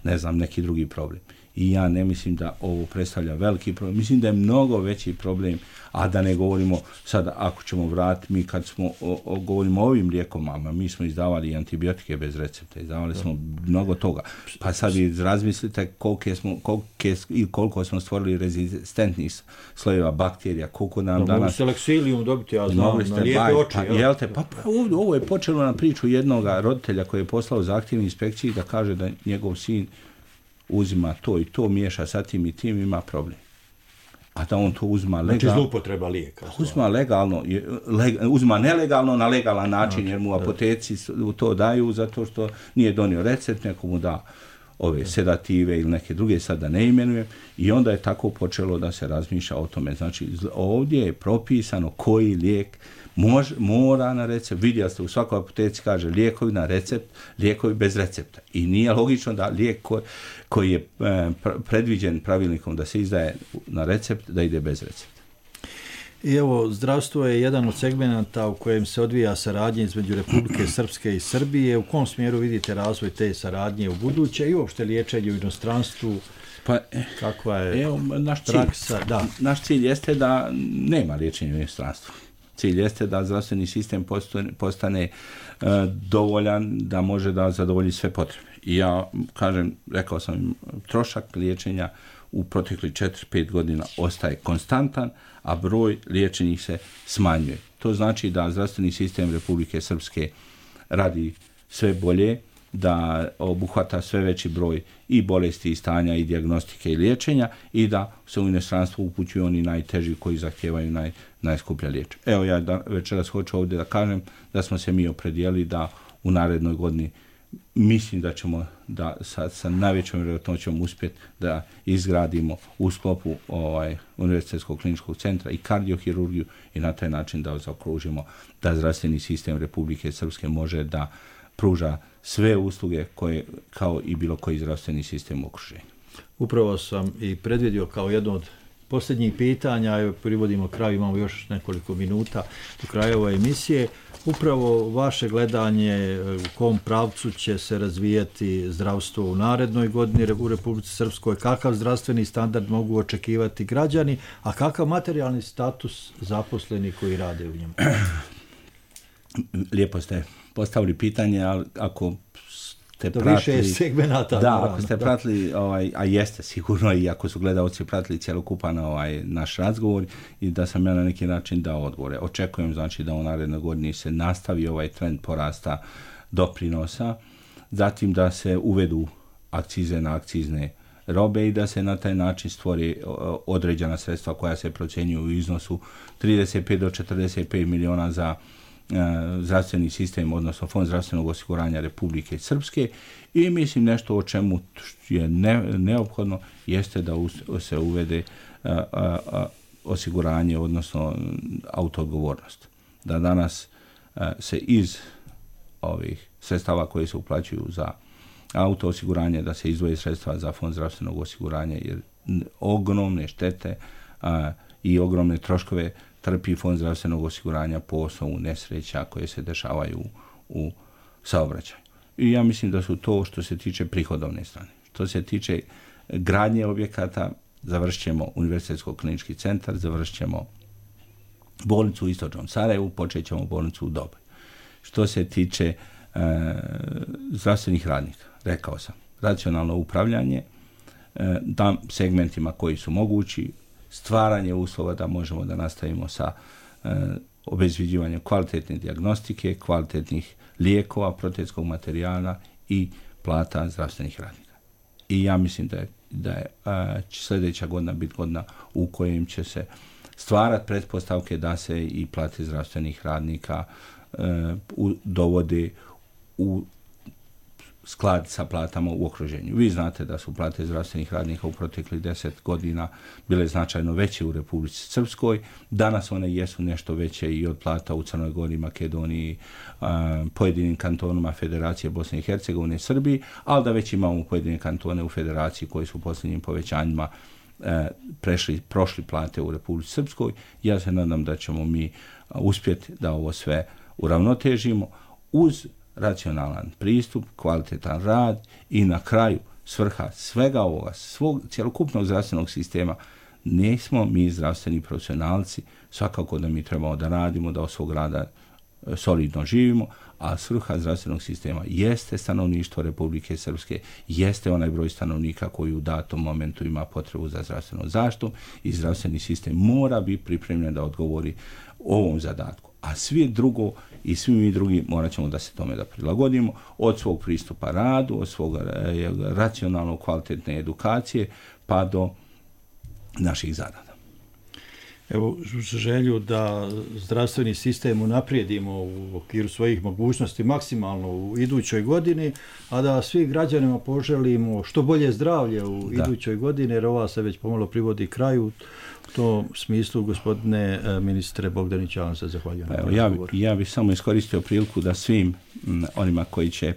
ne znam, neki drugi problem. I ja ne mislim da ovo predstavlja veliki problem. Mislim da je mnogo veći problem, a da ne govorimo sad, ako ćemo vratiti, mi kad smo o, o, govorimo o ovim lijekovima, mi smo izdavali antibiotike bez recepta, izdavali smo mnogo toga. Pa sad vi razmislite koliko smo, koliko, koliko smo stvorili rezistentnih slojeva bakterija, koliko nam no, danas... Mogu ste leksilijum dobiti, ja znam, na lijepe oči. Pa, jel te, pa, pa ovo, ovo je počelo na priču jednog roditelja koji je poslao zahtjevni inspekciji da kaže da njegov sin uzima to i to, miješa sa tim i tim, ima problem. A da on to uzma legalno... Znači zloupotreba lijeka. Uzma legalno, leg, uzma nelegalno na legalan način, znači, jer mu apoteci to daju zato što nije donio recept, neko mu da ove sedative ili neke druge, sad da ne imenujem, i onda je tako počelo da se razmišlja o tome. Znači, ovdje je propisano koji lijek Mož, mora na recept. Vidjeli ste, u svakoj apoteci kaže lijekovi na recept, lijekovi bez recepta. I nije logično da lijek koji, koji je e, predviđen pravilnikom da se izdaje na recept, da ide bez recepta. I evo, zdravstvo je jedan od segmenata u kojem se odvija saradnja između Republike Srpske i Srbije. U kom smjeru vidite razvoj te saradnje u buduće i uopšte liječenje u inostranstvu? Pa, kakva je evo, naš praksa? Cilj, da. Naš cilj jeste da nema liječenja u inostranstvu. Cilj jeste da zdravstveni sistem postane, postane e, dovoljan da može da zadovolji sve potrebe. I ja kažem, rekao sam, trošak liječenja u proteklih četiri pet godina ostaje konstantan, a broj liječenih se smanjuje. To znači da zdravstveni sistem Republike Srpske radi sve bolje, da obuhvata sve veći broj i bolesti i stanja i dijagnostike i liječenja i da se u inostranstvo upućuju oni najteži koji zahtijevaju naj, najskuplja liječenja. Evo ja da, večeras hoću ovdje da kažem da smo se mi opredijelili da u narednoj godini mislim da ćemo da sa, sa najvećom vjerojatnoćom uspjeti da izgradimo u sklopu ovaj, Univerzitetskog kliničkog centra i kardiohirurgiju i na taj način da zaokružimo da zdravstveni sistem Republike Srpske može da pruža sve usluge koje kao i bilo koji zdravstveni sistem u okruženju. Upravo sam i predvidio kao jedno od posljednjih pitanja, evo privodimo kraju, imamo još nekoliko minuta do kraja ove emisije. Upravo vaše gledanje u kom pravcu će se razvijati zdravstvo u narednoj godini u Republici Srpskoj, kakav zdravstveni standard mogu očekivati građani, a kakav materijalni status zaposlenih koji rade u njemu? Lijepo ste postavili pitanje, ali ako ste to pratili... više segmenata. Da, ako ste pratili, ovaj, a jeste sigurno, i ako su gledalci pratili cjelokupan ovaj, naš razgovor, i da sam ja na neki način dao odgovore. Očekujem, znači, da u narednoj godini se nastavi ovaj trend porasta doprinosa, zatim da se uvedu akcize na akcizne robe i da se na taj način stvori određena sredstva koja se procjenjuju u iznosu trideset pet do četrdeset pet miliona za zdravstveni sistem, odnosno Fond zdravstvenog osiguranja Republike Srpske, i mislim nešto o čemu je ne, neophodno jeste da se uvede a, a, a, osiguranje, odnosno autoodgovornost. Da danas a, se iz ovih sredstava koje se uplaćuju za auto osiguranje, da se izdvoje sredstva za Fond zdravstvenog osiguranja, jer ogromne štete a, i ogromne troškove trpi Fond zdravstvenog osiguranja po osnovu nesreća koje se dešavaju u saobraćaju. I ja mislim da su to što se tiče prihodovne strane. Što se tiče gradnje objekata, završit ćemo Univerzitetskog klinički centar, završit ćemo bolnicu u Istočnom Sarajevu, počet ćemo bolnicu u Doboju. Što se tiče e, zdravstvenih radnika, rekao sam, racionalno upravljanje, e, da segmentima koji su mogući, stvaranje uslova da možemo da nastavimo sa e, obezvređivanjem kvalitetne dijagnostike, kvalitetnih lijekova, protetskog materijala i plata zdravstvenih radnika. I ja mislim da je, da je a, sljedeća godina biti godina u kojem će se stvarati pretpostavke da se i plate zdravstvenih radnika e, u, dovode u sklad sa platama u okruženju. Vi znate da su plate zdravstvenih radnika u proteklih deset godina bile značajno veće u Republici Srpskoj. Danas one jesu nešto veće i od plata u Crnoj Gori, Makedoniji, pojedinim kantonima Federacije Bosne i Hercegovine i Srbiji, ali da već imamo pojedine kantone u Federaciji koji su u posljednjim povećanjima prešli, prošli plate u Republici Srpskoj. Ja se nadam da ćemo mi uspjeti da ovo sve uravnotežimo uz racionalan pristup, kvalitetan rad i na kraju svrha svega ovoga, svog cjelokupnog zdravstvenog sistema. Nismo mi zdravstveni profesionalci, svakako da mi trebamo da radimo, da od svog rada solidno živimo, a svrha zdravstvenog sistema jeste stanovništvo Republike Srpske, jeste onaj broj stanovnika koji u datom momentu ima potrebu za zdravstvenom zaštitom i zdravstveni sistem mora biti pripremljen da odgovori ovom zadatku. a svi drugo i svi mi drugi morat ćemo da se tome da prilagodimo, od svog pristupa radu, od svog racionalnog kvalitetne edukacije, pa do naših zarada. Evo, želju da zdravstveni sistem unaprijedimo u okviru svojih mogućnosti maksimalno u idućoj godini, a da svih građanima poželimo što bolje zdravlje u da. idućoj godini, jer ova se već pomalo privodi kraju. U tom smislu, gospodine ministre Bogdanić, ja vam se zahvaljujem. Evo, ja, ja bih samo iskoristio priliku da svim m, onima koji će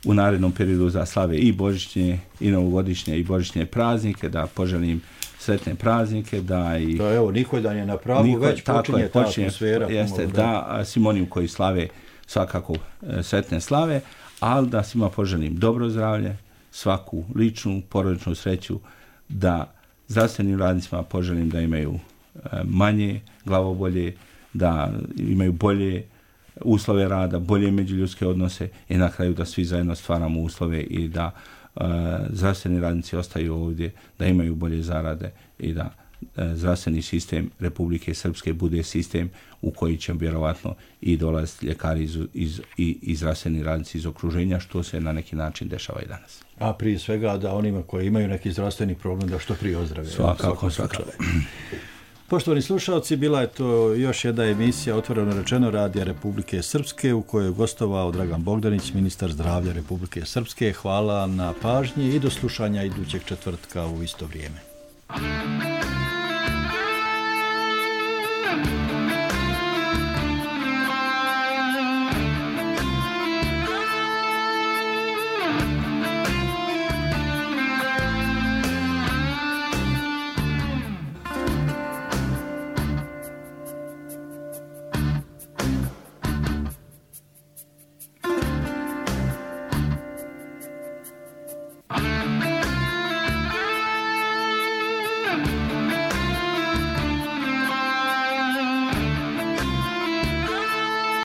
u narednom periodu za slave i božićnje, i novogodišnje, i božićnje praznike, da poželim sretne praznike, da i... Da, evo, Nikoldan je na pragu, Niko, već počinje ta počinje, atmosfera. Jeste, da, da svim onim koji slave svakako e, sretne slave, ali da svima poželim dobro zdravlje, svaku ličnu, porodičnu sreću, da zdravstvenim radnicima poželim da imaju e, manje glavobolje, da imaju bolje uslove rada, bolje međuljudske odnose i na kraju da svi zajedno stvaramo uslove i da e, zdravstveni radnici ostaju ovdje, da imaju bolje zarade i da e, zdravstveni sistem Republike Srpske bude sistem u koji će vjerovatno i dolaziti ljekari iz, iz, i, i zdravstveni radnici iz okruženja, što se na neki način dešava i danas. A prije svega da onima koji imaju neki zdravstveni problem da što prije ozdrave. Svakako, svakako. Poštovani slušalci, bila je to još jedna emisija Otvoreno rečeno Radija Republike Srpske u kojoj je gostovao Dragan Bogdanić, ministar zdravlja Republike Srpske. Hvala na pažnji i do slušanja idućeg četvrtka u isto vrijeme.